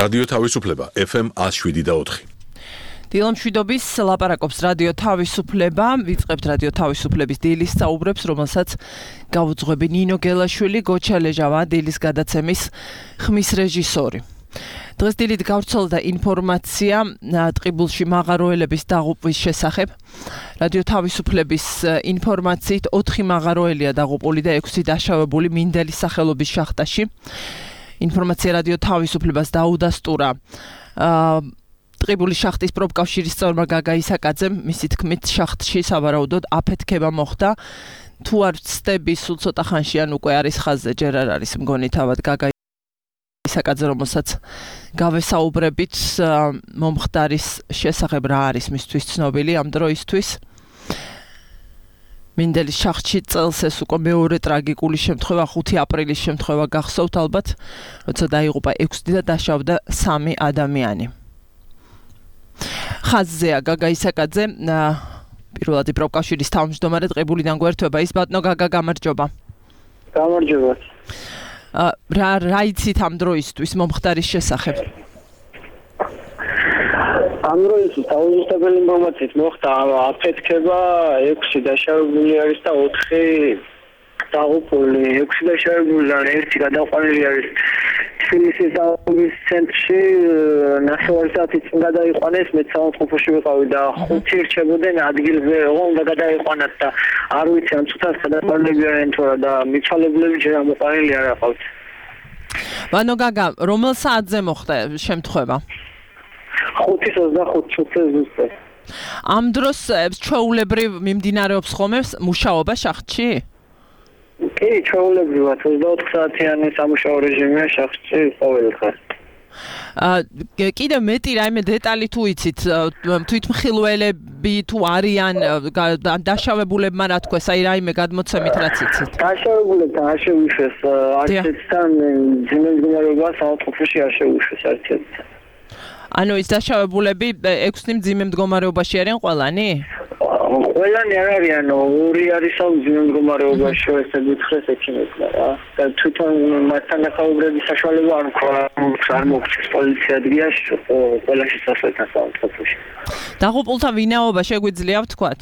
რადიო თავისუფლება FM 107.4. დილა მშვიდობის ლაპარაკობს რადიო თავისუფლება, ვიწყებთ რადიო თავისუფლების დილის საუბრებს, რომელსაც გავუძღვები ნინო გელაშვილი, გოჩა ლეჟავა, დილის გადაცემის ხმის რეჟისორი. დღეს დილით გავრცელდა ინფორმაცია ტყიბულში მაღაროელების დაღუპვის შესახებ. რადიო თავისუფლების ინფორმაციით 4 მაღაროელია დაღუპული და 6 დაშავებული მინდელის სახელობის შახტაში. ინფორმაცია რადიო თავისუფლებას დაუდასტურა ტყიბულის შახტის პროფკავშირის წევრმა გაგა ისაკაძემ, მისი თქმით შახტში სავარაუდოდ აფეთქება მოხდა. თუ არ ვცდები, სულ ცოტა ხანში ან უკვე არის ხაზზე, ჯერ არ არის მგონი თავად გაგა ისაკაძე, რომელსაც გავესაუბრებით მომხდარის შესახებ რა არის მისთვის ცნობილი ამ დროისთვის. მინდელის შახტში წელს ეს უკვე მეორე ტრაგიკული შემთხვევა 5 აპრილის შემთხვევა გახსოვთ ალბათ, როცა დაიღუპა 6 და დაშავდა 3 ადამიანი. ხაზზეა გაგა ისაკაძე, პირველადი პროფკავშირის თავმჯდომარე ტყიბულიდან გვერდება ის ბატონო გაგა, გამარჯობა. გამარჯობა. რა იცით ამ დროისთვის მომხდარის შესახებ? ამ დროისთვის დაუზუსტებელი ინფორმაციით მოხდა აფეთქება, 6 დაშავებული არის და 4 დაღუპული. 6 დაშავებულიდან 1 გადაყვანილი არის თბილისის დაღუპვის ცენტრში, ნახევარი საათი წინ გადაიყვანეს, მე საავადმყოფოში ვიყავი და 5 რჩებოდნენ ადგილზე, უნდა გადაიყვანათ და არ ვიცი ამ წუთას გადაყვანილები არიან თუ არა და მიცვალებლები ჯერ ამოყვანილი არ აყავთ. ბანო გაგა, რომელ საათზე მოხდა შემთხვევა? 5:25 ზუსტად. ამ დროს ჩვეულებრივ მიმდინარეობს ხოლმე მუშაობა შახტში? კი, ჩვეულებრივად 24 საათიანი სამუშაო რეჟიმია შახტში ყოველდღე. კიდევ მეტი რაიმე დეტალი თუ იცით, თვითმხილველები თუ არიან დაშავებულებმა რა თქვეს, აი რაიმე გადმოცემით რაც იცით? დაშავებულებთან არ შეუშვეს არცერთთან ძიმე მდგომარეობა საავადმყოფოში არ შეუშვეს არცერთთან. ანუ ის დაშავებულები 6 მძიმე მდგომარეობაში არიან ყველანი? ყველანი არ არიან, 2 არის მძიმე მდგომარეობაში, ესე გითხრეს ექიმებმა რა. და თვითონ მასთან დაკავშირების საშუალება არ მოგწეს პოლიცია ადგილაში, ყველა შესასვლელთან საავადმყოფოში. დაღუპულთა ვინაობა შეგვიძლია ვთქვათ?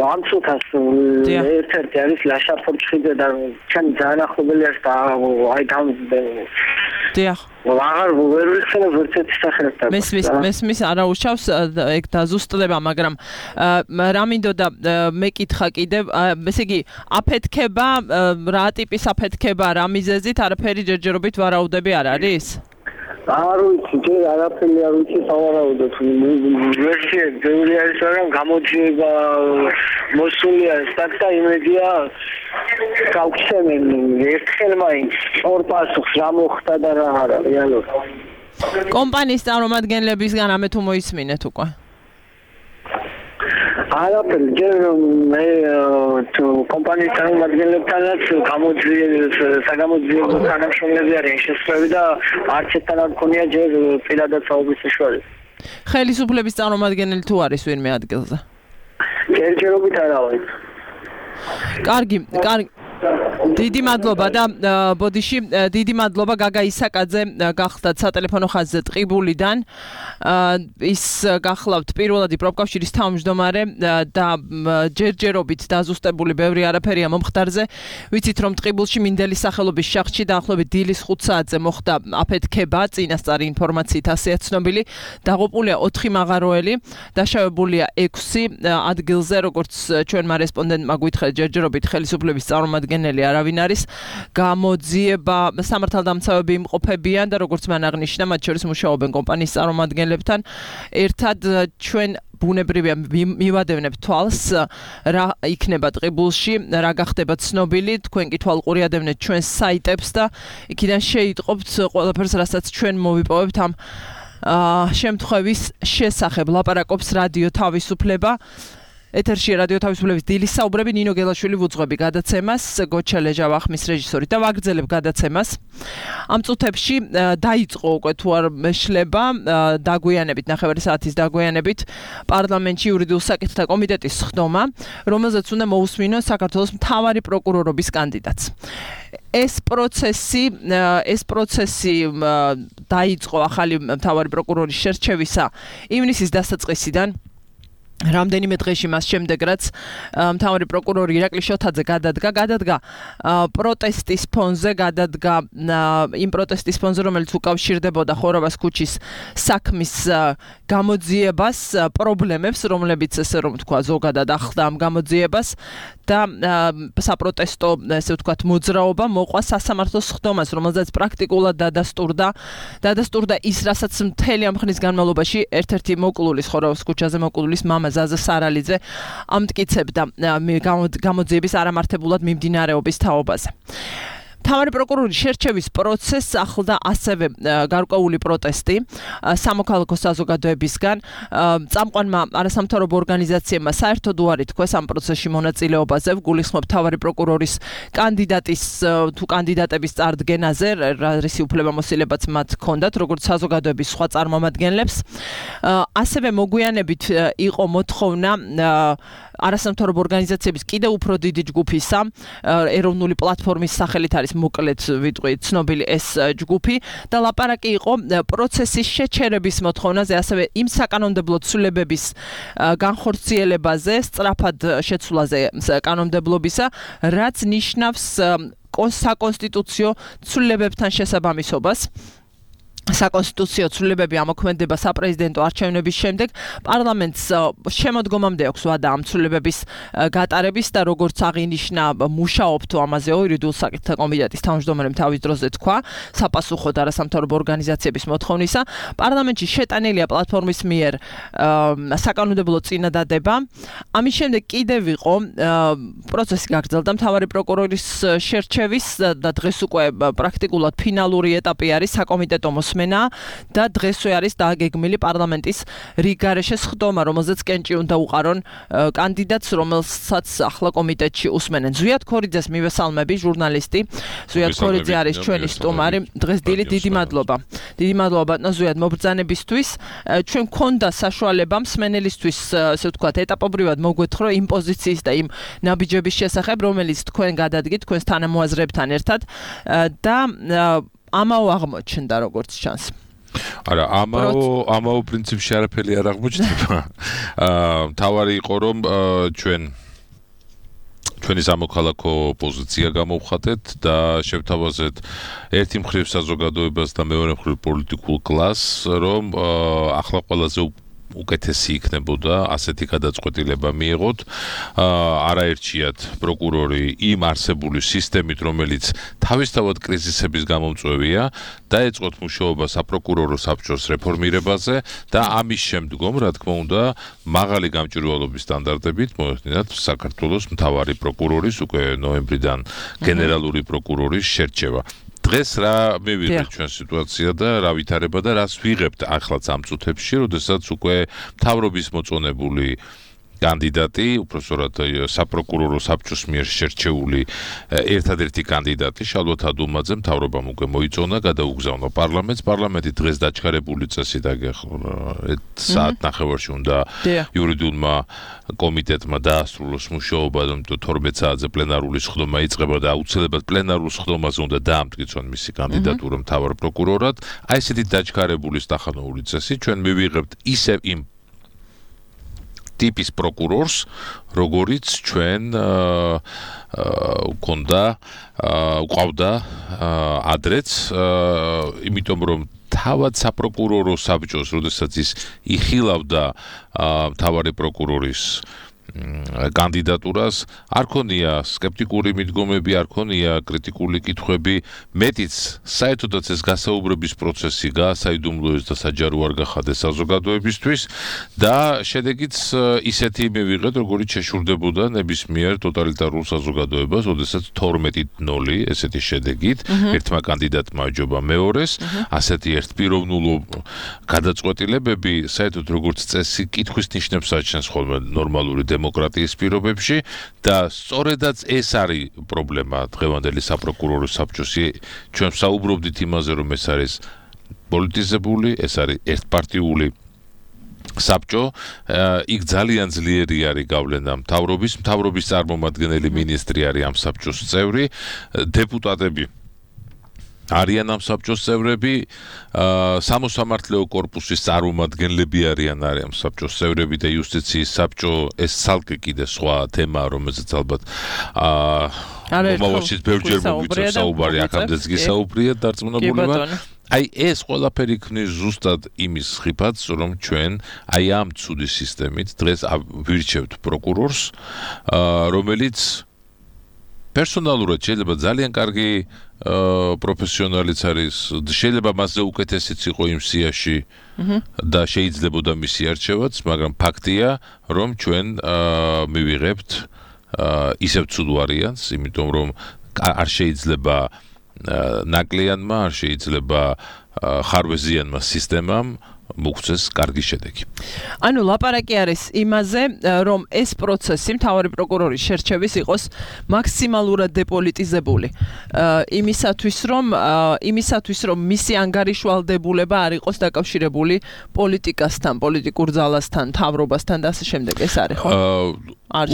ამ წუთას ერთ-ერთი არის ლაშა ფორჩხიძე და ჩემი ძალიან ახლობელი არის და აი დიახ. აღარ ვერ ვიხსენებ ერთ-ერთი სახელთან. მესმის არა უშავს ეგ დაზუსტდება, მაგრამ რა მინდოდა მეკითხა კიდევ, ესე იგი აფეთქება, რა ტიპის აფეთქება, რა მიზეზით, არაფერი ჯერჯერობით ვარაუდები არ არის? არ ვიცი, ჯერ არაფერი არ ვიცი სავარაუდოდ. ვერსია ბევრი არის, მაგრამ გამოძიება მოსული არის და იმედია გავხსენენ ერთხელ მაინც ორ პასუხს რა მოხდა და რა არა, რეალურად. კომპანიის წარმომადგენლებისგან ამე თუ მოისმინეთ უკვე? არაფერი, ჯერ მე თუ კომპანიის წარმომადგენლებთანაც საგამოძიებო თანამშრომლები არიან შესწრები და არც ერთთან არ მქონია ჯერ პირადად საუბრის საშუალება. ხელისუფლების წარმომადგენელი თუ არის ვინმე ადგილზე? ჯერჯერობით არა ვარ. კარგი. დიდი მადლობა და ბოდიში, დიდი მადლობა გაგა ისაკაძე გახლდათ სატელეფონო ხაზზე ტყიბულიდან. ის გახლავთ პირველადი პროფკავშირის თავმჯდომარე და ჯერჯერობით დაზუსტებული ბევრი არაფერია მომხდარზე. ვიცით რომ ტყიბულში მინდელის სახელობის შახტში დაახლოებით დილის 5 საათზე მოხდა აფეთქება, წინასწარი ინფორმაციით ასეა ცნობილი. დაღუპულია 4 მაღაროელი, დაშავებულია 6 ადგილზე, როგორც ჩვენმა რესპონდენტმა გვითხრა ჯერჯერობით ხელისუფლების წარმომადგენელი არავინ არის. გამოძიება სამართალდამცავები იმყოფებიან და როგორც მან აღნიშნა, მათ შორის მუშაობენ კომპანიის წარმომადგენლებთან. ერთად ჩვენ ბუნებრივია მივადევნებთ თვალს რა იქნება ტყიბულში, რა გახდება ცნობილი, თქვენ კი თვალყური ადევნეთ ჩვენს საიტებს და იქიდან შეიტყობთ ყველაფერს, რასაც ჩვენ მოვიპოვებთ ამ შემთხვევის შესახებ. ლაპარაკობს რადიო თავისუფლება. ეთერში რადიო თავისუფლების დილის საუბრები, ნინო გელაშვილი ვუძღვები გადაცემას, გოჩა ლეჟავა ხმის რეჟისორი და ვაგრძელებ გადაცემას. ამ წუთებში დაიწყო უკვე თუ არ მეშლება დაგვიანებით, ნახევარი საათის დაგვიანებით პარლამენტში იურიდიულ საკითხთა კომიტეტის სხდომა, რომელზეც უნდა მოусმინოს საქართველოს მთავარი პროკურორობის კანდიდატს. ეს პროცესი დაიწყო ახალი მთავარი პროკურორის შერჩევისა ივნისის დასაწყისიდან. რამდენიმე დღეში მას შემდეგ რაც მთავარი პროკურორი ირაკლი შოთაძე გადადგა პროტესტის ფონზე იმ პროტესტის ფონზე რომელიც უკავშირდებოდა ხოროვას ქუჩის საქმის გამოძიებას პრობლემებს რომლებიც ესე რომ თქვა ზოგადად ახლდა ამ გამოძიებას და საპროტესტო ესე ვთქვათ მოძრაობა მოყვა სასამართლოს ხდომას რომელზეც პრაქტიკულად დადასტურდა ის რასაც მთელი ამ ხნის განმავლობაში ერთ-ერთი მოკლულის ხოროვას ქუჩაზე მოკლულის მამა ზაზა სარალიძე ამტკიცებდა გამოძიების არამართებულად მიმდინარეობის თაობაზე. მთავარი პროკურორის შერჩევის პროცესს ახლდა ასევე გარკვეული პროტესტი სამოქალაქო საზოგადოებისგან. წამყვანმა არასამთავრობო ორგანიზაციებმა საერთოდ უარი თქვეს ამ პროცესში მონაწილეობაზე, გულისხმობ მთავარი პროკურორის კანდიდატების წარდგენაზე, რისი უფლებამოსილებაც მათ ჰქონდათ, როგორც საზოგადოების სხვა წარმომადგენლებს. ასევე მოგვიანებით იყო მოთხოვნა არასამთავრობო ორგანიზაციების კიდევ უფრო დიდი ჯგუფისა, ეროვნული პლატფორმის სახელით არის მოკლედ ვიტყვი ცნობილი ეს ჯგუფი და ლაპარაკი იყო პროცესის შეჩერების მოთხოვნაზე, ასევე იმ საკანონმდებლო ცვლილებების განხორციელებაზე, სწრაფად შეცვლაზე კანონმდებლობისა, რაც ნიშნავს საკონსტიტუციო ცვლილებებთან შესაბამისობას. საკონსტიტუციო ცვლილებები ამოქმედება საპრეზიდენტო არჩევნების შემდეგ პარლამენტს შემოდგომამდე აქვს ვადა ამ ცვლილებების გატარების და როგორც აღინიშნა მუშაობთ ამაზე იურიდიულ საკითხთა კომიტეტის თავმჯდომარემ თავის დროზე თქვა საპასუხოდ არასამთავრობო ორგანიზაციების მოთხოვნისა პარლამენტში შეტანილია პლატფორმის მიერ საკანონმდებლო წინადადება ამის შემდეგ კიდევ იყო პროცესი გაგრძელდა მთავარი პროკურორის შერჩევის და დღეს უკვე პრაქტიკულად ფინალური ეტაპი არის საკომიტეტო და დღესვე არის დაგეგმილი პარლამენტის რიგგარეშე სხდომა, რომელზეც კენჭი უნდა უყარონ კანდიდატს, რომელსაც ახლა კომიტეტში უსმენენ. ზვიად ქორიძეს მივესალმები, ჟურნალისტი. ზვიად ქორიძე არის ჩვენი სტუმარი. დღეს დიდი მადლობა. დიდი მადლობა ბატონო ზვიად მობრძანებისთვის. ჩვენ გქონდა საშუალება მსმენელისთვის, ასე ვთქვათ, ეტაპობრივად მოგვეთხოვრო იმ პოზიციის და იმ ნაბიჯების შესახებ, რომელიც თქვენ გადადგით თქვენს თანამოაზრეებთან ერთად და ამაო აღმოჩნდა როგორც ჩანს. არა, ამაო პრინციპში არაფერი არ აღმოჩნდება. თავარი იყო რომ ჩვენი სამოქალაქო პოზიცია გამოვხატეთ და შევთავაზეთ ერთი მხრივ საზოგადოებას და მეორე მხრივ პოლიტიკურ კლასს, რომ ახლა ყველაზე უკეთესი იქნებოდა ასეთი გადაწყვეტილება მიიღოთ არაერჩიათ პროკურორი იმ არსებული სისტემით რომელიც თავისთავად კრიზისების გამომწვევია დაეწყოთ მუშაობა საპროკურორო საბჭოს რეფორმირებაზე და ამის შემდგომ რა თქმა უნდა მაღალი გამჭვირვალობის სტანდარტებით მოეხდინათ საქართველოს მთავარი პროკურორის უკვე ნოემბრიდან გენერალური პროკურორის შერჩევა დღეს რა მივიღეთ ჩვენ სიტუაცია და რა ვითარება და რას ვიღებთ ახლაც ამ წუთებში, როდესაც უკვე მთავრობის მოწონებული კანდიდატი, უпроსორად საპროკურორო საბჭოს მიერ შერჩეული ერთადერთი კანდიდატი შალვა თადულმაძე მთავრობამ უკვე მოიწონა, გადაუგზავნა პარლამენტს. პარლამენტი დღეს დაჩქარებული წესით საათ ნახევარში უნდა იურიდიულმა კომიტეტმა დაასრულოს მუშაობა, იმიტომ 12 საათზე პლენარული სხდომა იწყება და აუცილებლად პლენარულ სხდომაზე უნდა დაამტკიცონ მისი კანდიდატურა მთავარ პროკურორად. აი ესეთი დაჩქარებული სტახანოური წესი ჩვენ მივიღებთ ისევ იმ ტიპის პროკურორს, როგორიც ჩვენ გვყავდა ადრეც, იმიტომ რომ თავად საპროკურორო საბჭოს, როდესაც ის იხილავდა მთავარი პროკურორის კანდიდატურას, არ ქონია სკეპტიკური მიდგომები, არ ქონია კრიტიკული კითხვები, მეტიც საერთოდაც ეს გასაუბრების პროცესი გაასაიდუმლოეს და საჯარო არ გახადეს საზოგადოებისთვის და შედეგიც ისეთი მივიღეთ, როგორც შეშურდებოდა ნებისმიერ ტოტალიტარულ საზოგადოებას, როდესაც 12-0 ესეთი შედეგით ერთმა კანდიდატმა აჯობა მეორეს, ასეთი ერთპიროვნულო გადაწყვეტილებები საერთოდ როგორც წესი კითხვის ნიშნებს აჩენს ხოლმე ნორმალური დემოკრატიის პირობებში და სწორედაც ეს არის პრობლემა დღევანდელი საპროკურორო საბჭოსი. ჩვენ საუბრობდით იმაზე, რომ ეს არის პოლიტიზებული, ეს არის ერთპარტიული საბჭო იქ ძალიან ძლიერი არის გავლენა მთავრობის წარმომადგენელი მინისტრი არის ამ საბჭოს წევრი დეპუტატები არიან ამ საბჭოს წევრები სამოსამართლეო კორპუსის წარმომადგენლები არიან ამ საბჭოს წევრები და იუსტიციის საბჭო ეს ცალკე კიდე სხვა თემაა რომელზეც ალბათ მომავალში ბევრჯერ მოგვიწევს საუბარი აქამდეც გისაუბრია დარწმუნებულია აი ეს ყველაფერი ქმნის ზუსტად იმის ხიფათს რომ ჩვენ აი ამ ცუდი სისტემით დღეს ვირჩევთ პროკურორს რომელიც პერსონალურად შეიძლება ძალიან კარგი პროფესიონალიც არის შეიძლება მასზე უკეთესიც იყო იმ სიაში და შეიძლებოდა მისი არჩევაც მაგრამ ფაქტია რომ ჩვენ მივიღებთ ისევ ცუდ ვარიანტს იმიტომ რომ არ შეიძლება ნაკლიანმა არ შეიძლება ხარვეზიანმა სისტემამ მოგცეს კარგი შედეგი. ანუ ლაპარაკი არის იმაზე, რომ ეს პროცესი მთავარი პროკურორის შერჩევის იყოს მაქსიმალურად დეპოლიტიზებული. იმისათვის რომ მისი ანგარიშვალდებულება არ იყოს დაკავშირებული პოლიტიკასთან, პოლიტიკურ ძალასთან, მთავრობასთან და ასე შემდეგ. ეს არის, ხო?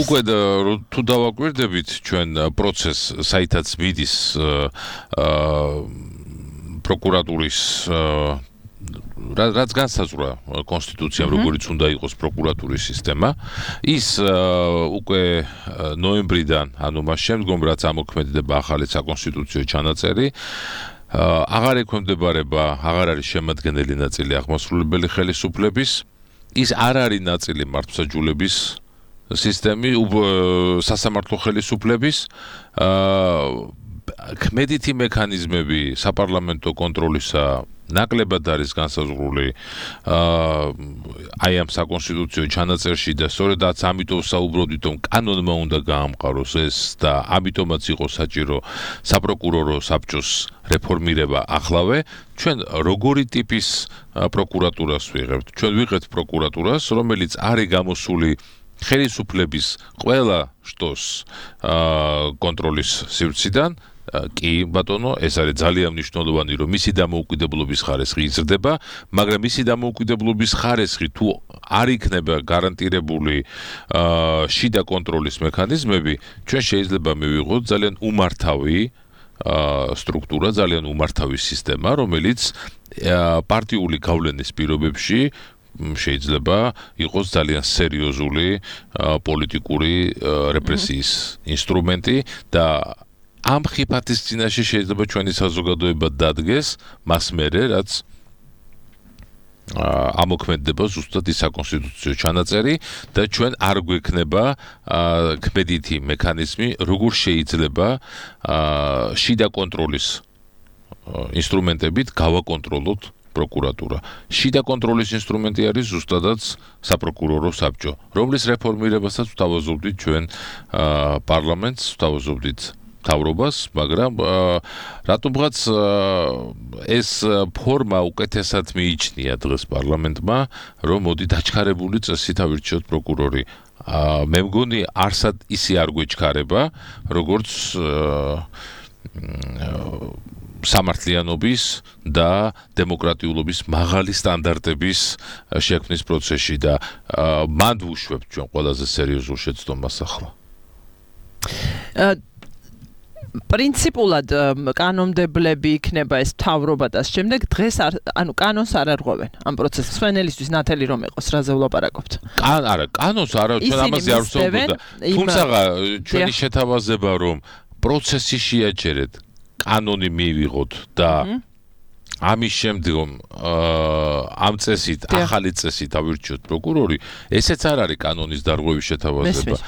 უკვე თუ დავაკვირდებით ჩვენ პროცესს, საითაც მიდის პროკურატურის რაც განსაზღვრა კონსტიტუციამ როგორიც უნდა იყოს პროკურატურის სისტემა ის უკვე ნოემბრიდან ანუ მას შემდგომ რაც ამოქმედება ახალი საკონსტიტუციო ჩანაწერი აღარ ექვემდებარება აღარ არის შემადგენელი ნაწილი აღმასრულებელი ხელისუფლების ის არ არის ნაწილი მართლმსაჯულების სისტემი სასამართლო ხელისუფლების ქმედითი მექანიზმები საპარლამენტო კონტროლისა ნაკლებად არის განსაზღვრული აი ამ საკონსტიტუციო ჩანაწერში და სწორედაც ამიტომ საუბრობდით რომ კანონმა უნდა გაამყაროს ეს და ამიტომაც იყო საჭირო საპროკურორო საბჭოს რეფორმირება ახლავე ჩვენ როგორი ტიპის პროკურატურას ვიღებთ ჩვენ ვიღებთ პროკურატურას რომელიც არის გამოსული ხელისუფლების ყველა შტოს კონტროლის სივრციდან კი ბატონო ეს არის ძალიან მნიშვნელოვანი რომ მისი დამოუკიდებლობის ხარისხი იზრდება მაგრამ მისი დამოუკიდებლობის ხარისხი თუ არ იქნება გარანტირებული შიდა კონტროლის მექანიზმები ჩვენ შეიძლება მივიღოთ ძალიან უმართავი სტრუქტურა ძალიან უმართავი სისტემა რომელიც პარტიული გავლენის პირობებში შეიძლება იყოს ძალიან სერიოზული პოლიტიკური რეპრესიის ინსტრუმენტი და ამ ხიფათის წინაშე შეიძლება ჩვენი საზოგადოება დადგეს მას მერე რაც ამოქმედება ზუსტად ის საკონსტიტუციო ჩანაწერი და ჩვენ არ გვექნება ქმედითი მექანიზმი როგორ შეიძლება შიდა კონტროლის ინსტრუმენტებით გავაკონტროლოთ პროკურატურა. შიდა კონტროლის ინსტრუმენტი არის ზუსტადაც საპროკურორო საბჭო, რომლის რეფორმირებასაც ვთავაზობდით ჩვენ პარლამენტს, ვთავაზობდით მთავრობას, მაგრამ რატომღაც ეს ფორმა უკეთესად მიიჩნია დღეს პარლამენტმა, რომ მოდი დაჩქარებული წესით ავირჩიოთ პროკურორი. მე მგონი არსად ისი არ გვეჩქარება, როგორც სამართლიანობის და დემოკრატიულობის მაღალი სტანდარტების შექმნის პროცესში და მანდ ვუშვებთ ჩვენ ყველაზე სერიოზულ შეცდომას ახლა. პრინციპულად კანონმდებლები იქნება ეს მთავრობა და შემდეგ დღეს ანუ კანონს არ არღვევენ ამ პროცესს. სვენელისთვის ნათელი რომ იყოს, რაზე ვლაპარაკობთ. არა, კანონს არა, ჩვენ ამაზე არ ვსაუბრობთ. თუმცა ჩვენი შეთავაზება რომ პროცესი შეაჩერეთ კანონი მივიღოთ და ამის შემდგომ ამ წესით ახალი წესით ავირჩიოთ პროკურორი ესეც არ არის კანონის დარღვევის შეთავაზება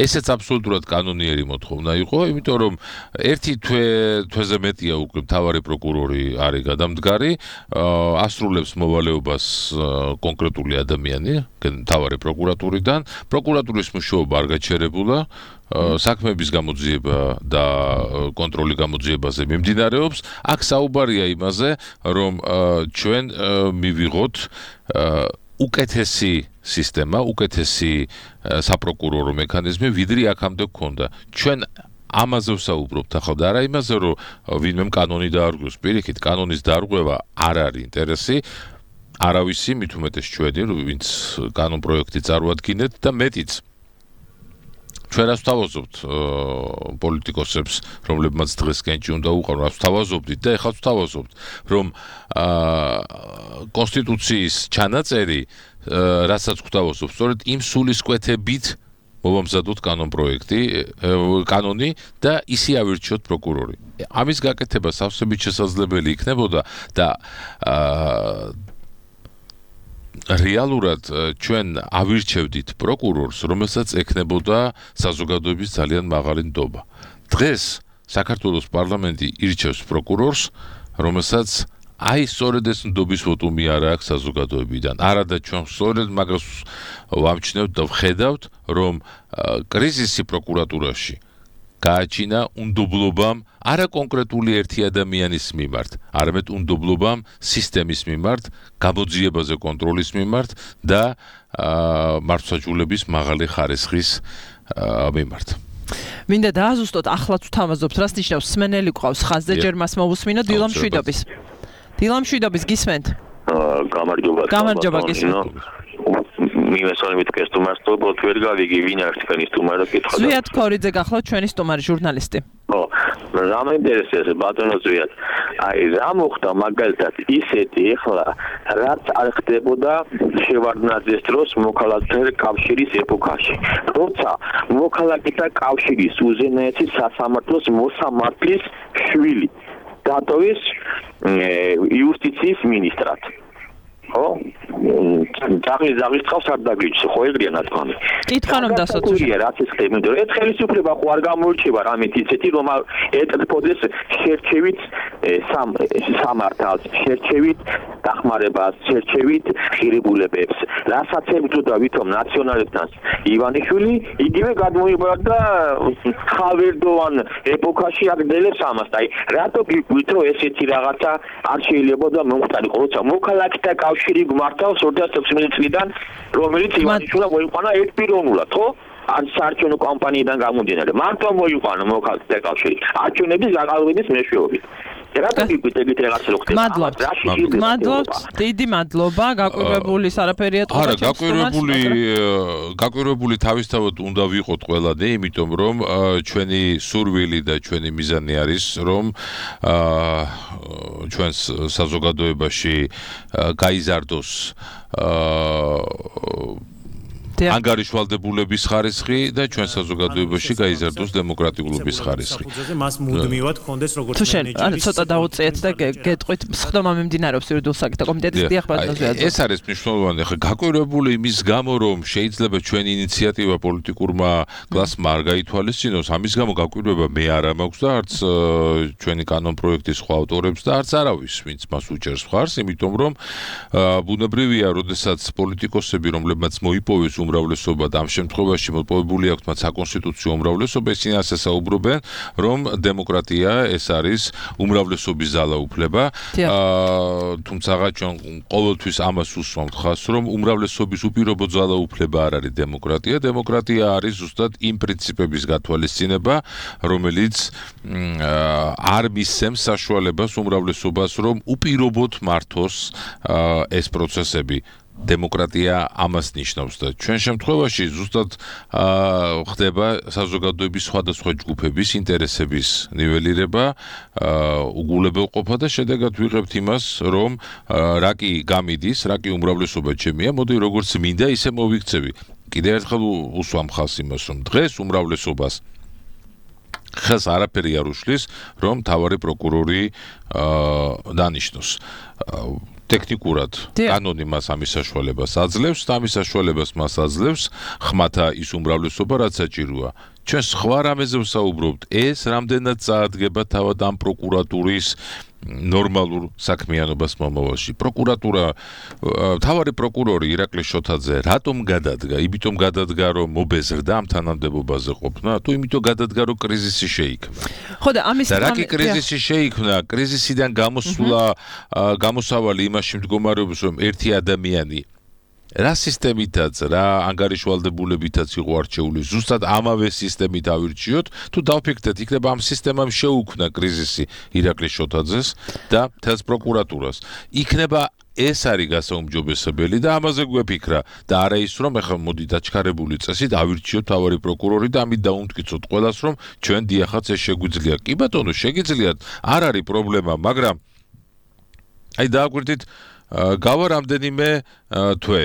ესეც აბსოლუტურად კანონიერი მოთხოვნა იყო იმიტომ რომ ერთი თვეზე მეტია უკვე მთავარი პროკურორი არის გადამდგარი ასრულებს მოვალეობას კონკრეტული ადამიანი მთავარი პროკურატურიდან პროკურატურის მუშაობა არ გაჩერებულა საქმეების გამოძიება და კონტროლი გამოძიებაზე მიმდინარეობს აქ საუბარია იმაზე რომ ჩვენ მივიღოთ უკეთესი სისტემა უკეთესი საპროკურორო მექანიზმი ვიდრე აქამდე გქონდა ჩვენ ამაზე ვსაუბრობთ ახლა და არა იმაზე რომ ვინმე კანონი დაარღვევს პირიქით კანონის დარღვევა არ არის ინტერესი არავისი მით უმეტეს ჩვენი, ვინც კანონპროექტი წარუადგინეთ და მეტიც ჩვენ რას ვთავაზობთ პოლიტიკოსებს, რომლებმაც დღეს კენჭი უნდა უყარონ, რას ვთავაზობდით და ეხლა ვთავაზობთ, რომ კონსტიტუციის ჩანაწერი, რასაც ვთავაზობთ, სწორედ იმ სულისკვეთებით მოვამზადოთ კანონი და ისე ავირჩიოთ პროკურორი. ამის გაკეთება სავსებით შესაძლებელი იქნებოდა და რეალურად ჩვენ ავირჩევდით პროკურორს, რომელსაც ექნებოდა საზოგადოების ძალიან მაღალი ნდობა. დღეს საქართველოს პარლამენტი ირჩევს პროკურორს, რომელსაც აი სწორედ ეს ნდობის ვოტუმი არ აქვს საზოგადოებიდან. არა და ჩვენ სწორედ მაგას ვამჩნევთ და ვხედავთ, რომ კრიზისი პროკურატურაში გააჩინა უნდობლობამ არა კონკრეტული ერთი ადამიანის მიმართ, არამედ უნდობლობამ სისტემის მიმართ, გამოძიებაზე კონტროლის მიმართ და მართლმსაჯულების მაღალი ხარისხის მიმართ. მინდა დააზუსტოთ, ახლაც ვთავაზობთ, რას ნიშნავს სმენელი ყავს ხაზზე, ჯერ მას მოვუსმინოთ დილამ შვიდობის. დილამ შვიდობის გისმენთ? გამარჯობა გისმენთ. მივესალმებით კესტუმარს, თორბოთ ვერ გავიგი ვინ არის თქვენი სტუმარი კითხვა. ზვიად ქორიძე გახლავთ ჩვენი სტუმარი ჟურნალისტი. ხო, რა მეინტერესებს ბატონო ზვიად. აი რა მოხდა მაგალითად ისეთი ეხლა რაც არ ხდებოდა შევარდნაძის დროს მოქალაქეთა კავშირის ეპოქაში. როცა მოქალაქეთა კავშირის უზენაესი სასამართლოს მოსამართლის შვილი დატოვის იუსტიციის ministrat. ხო? ძაღლის წყავს არ დაგიჭს, ხო ეგრეა ნათქვამი. კითხვა რომ დასოთ. რაც ეს ხდება, იმიტომ რომ ეს ხელისუფლება ხო არ გამოირჩევა რამეთ ისეთი, რომ ეტყობდეს შერჩევით სამართალს, შერჩევით დახმარებას, შერჩევით ღირებულებებს. რასაც ებრძოდა ვითომ ნაციონალებთან ივანიშვილი, იგივე გადმოიბარდა ხავერდოვან ეპოქაში აგდელებს ამას. აი, რატო გიგვით რომ ესეთი რაღაცა არ შეიძლებოდა მომხდარიყო, როცა მოქალაქეთა კავშირი გვმართავს 2016 წლიდან, რომელიც ივანიშვილმა მოიყვანა ერთპიროვნულად, ხო? ან საარჩევნო კამპანიიდან გამომდინარე. მარტო მოიყვანა მოქალაქეთა კავშირი არჩევნების გაყალბების მეშვეობით. რატო გიგვიტებით რაღაც რო ხდება? მადლობთ, დიდი მადლობა, გაკვირვებული არაფერი ეთქვა. არა, გაკვირვებული თავისთავად უნდა ვიყოთ ყველანი, იმიტომ რომ ჩვენი სურვილი და ჩვენი მიზანი არის, რომ ჩვენს საზოგადოებაში გაიზარდოს ანგარიშვალდებულების ხარისხი და ჩვენ საზოგადოებაში გაიზარდოს დემოკრატიულობის ხარისხი. მას მუდმივად ხონდეს როგორც მენეჯერი. ცოტა დაუწიეთ და გეტყვით, სხდომა მიმდინარეობს იურიდიულ საკითხთა კომიტეტის დიახბატონზე. ეს არის მნიშვნელოვანი. ხა გაკვირვებული იმის გამო, რომ შეიძლება ჩვენი ინიციატივა პოლიტიკურმა კლასმა არ გაითვალისწინოს, ამის გამო გაკვირვება მე არა მაქვს და არც ჩვენი კანონპროექტის სხვა ავტორებს და არც არავის, ვინც მას უჭერს მხარს, იმიტომ რომ ბუნებრივია, როდესაც პოლიტიკოსები, რომლებმაც მოიპოვეს უმრავლესობა და ამ შემთხვევაში მოპოვებული აქვთ მათ საკონსტიტუციო უმრავლესობა, ისინი ასე საუბრობენ, რომ დემოკრატია ეს არის უმრავლესობის ძალაუფლება. თუმცა ჩვენ ყოველთვის ამას უსვამთ ხაზს, რომ უმრავლესობის უპირობო ძალაუფლება არ არის დემოკრატია. დემოკრატია არის ზუსტად იმ პრინციპების გათვალისწინება, რომელიც არ მისცემს საშუალებას უმრავლესობას, რომ უპირობოდ მართოს ეს პროცესები. დემოკრატია ამას ნიშნავს და ჩვენ შემთხვევაში ზუსტად ხდება საზოგადოების სხვადასხვა ჯგუფების ინტერესების ნიველირება, უგულებელყოფა და შედეგად ვიღებთ იმას, რომ რა კი გამიდის, რა კი უმრავლესობა ჩემია, მოდი როგორც მინდა ისე მოვიქცევი. კიდე ერთხელ უსვამ ხალხს იმას, რომ დღეს უმრავლესობას ხეს არაფერი არ უშლის, რომ მთავარი პროკურორი დანიშნოს. ტექნიკურად კანონი მას ამის საშუალებას აძლევს და ამის საშუალებას მას აძლევს ხმათა ის უმრავლესობა, რაც საჭიროა. ჩვენ სხვა რამეზე ვსაუბრობთ, ეს რამდენად წაადგება თავად ამ პროკურატურის ნორმალურ საქმიანობას მომავალში. პროკურატურა, მთავარი პროკურორი ირაკლი შოთაძე რატომ გადადგა? იმიტომ გადადგა, რომ მობეზრდა ამ თანამდებობაზე ყოფნა, თუ იმიტომ გადადგა, რომ კრიზისი შეიქმნა. ხო და ამის რა კი კრიზისი შეიქმნა? კრიზისიდან გამოსავალი იმაში მდგომარეობს, რომ ერთი ადამიანი რა სისტემითაც, რა ანგარიშვალდებულებითაც იყო არჩეული, ზუსტად ამავე სისტემით ავირჩიოთ, თუ დავფიქრდეთ, იქნება ამ სისტემამ შეუქმნა კრიზისი ირაკლი შოთაძეს და მთელს პროკურატურას. იქნება ეს არის გასაუმჯობესებელი და ამაზე გვეფიქრა და არა ის რომ ეხლა მოდი დაჩქარებული წესით ავირჩიოთ მთავარი პროკურორი და ამით დაუმტკიცოთ ყველას რომ ჩვენ დიახაც ეს შეგვიძლია. კი ბატონო, შეგიძლიათ, არ არის პრობლემა, მაგრამ აი დააკვირდით გავა რამდენიმე თვე.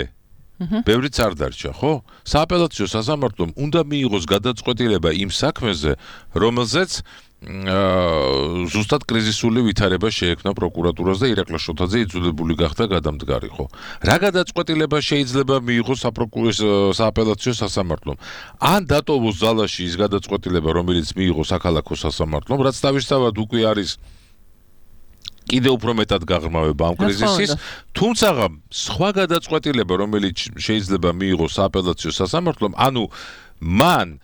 ბევრიც არ დარჩა, ხო? სააპელაციო სასამართლომ უნდა მიიღოს გადაწყვეტილება იმ საქმეზე, რომელზეც ზუსტად კრიზისული ვითარება შეექმნა პროკურატურას და ირაკლი შოთაძე იძულებული გახდა გადამდგარი, ხო? რა გადაწყვეტილება შეიძლება მიიღოს სააპელაციო სასამართლომ? ან დატოვოს ძალაში ის გადაწყვეტილება, რომელიც მიიღო საქალაქო სასამართლომ, რაც თავისთავად უკვე არის კიდევ უფრო მეტად გაღრმავება ამ კრიზისის, თუმცა სხვა გადაწყვეტილება, რომელიც შეიძლება მიიღოს სააპელაციო სასამართლომ, ანუ მან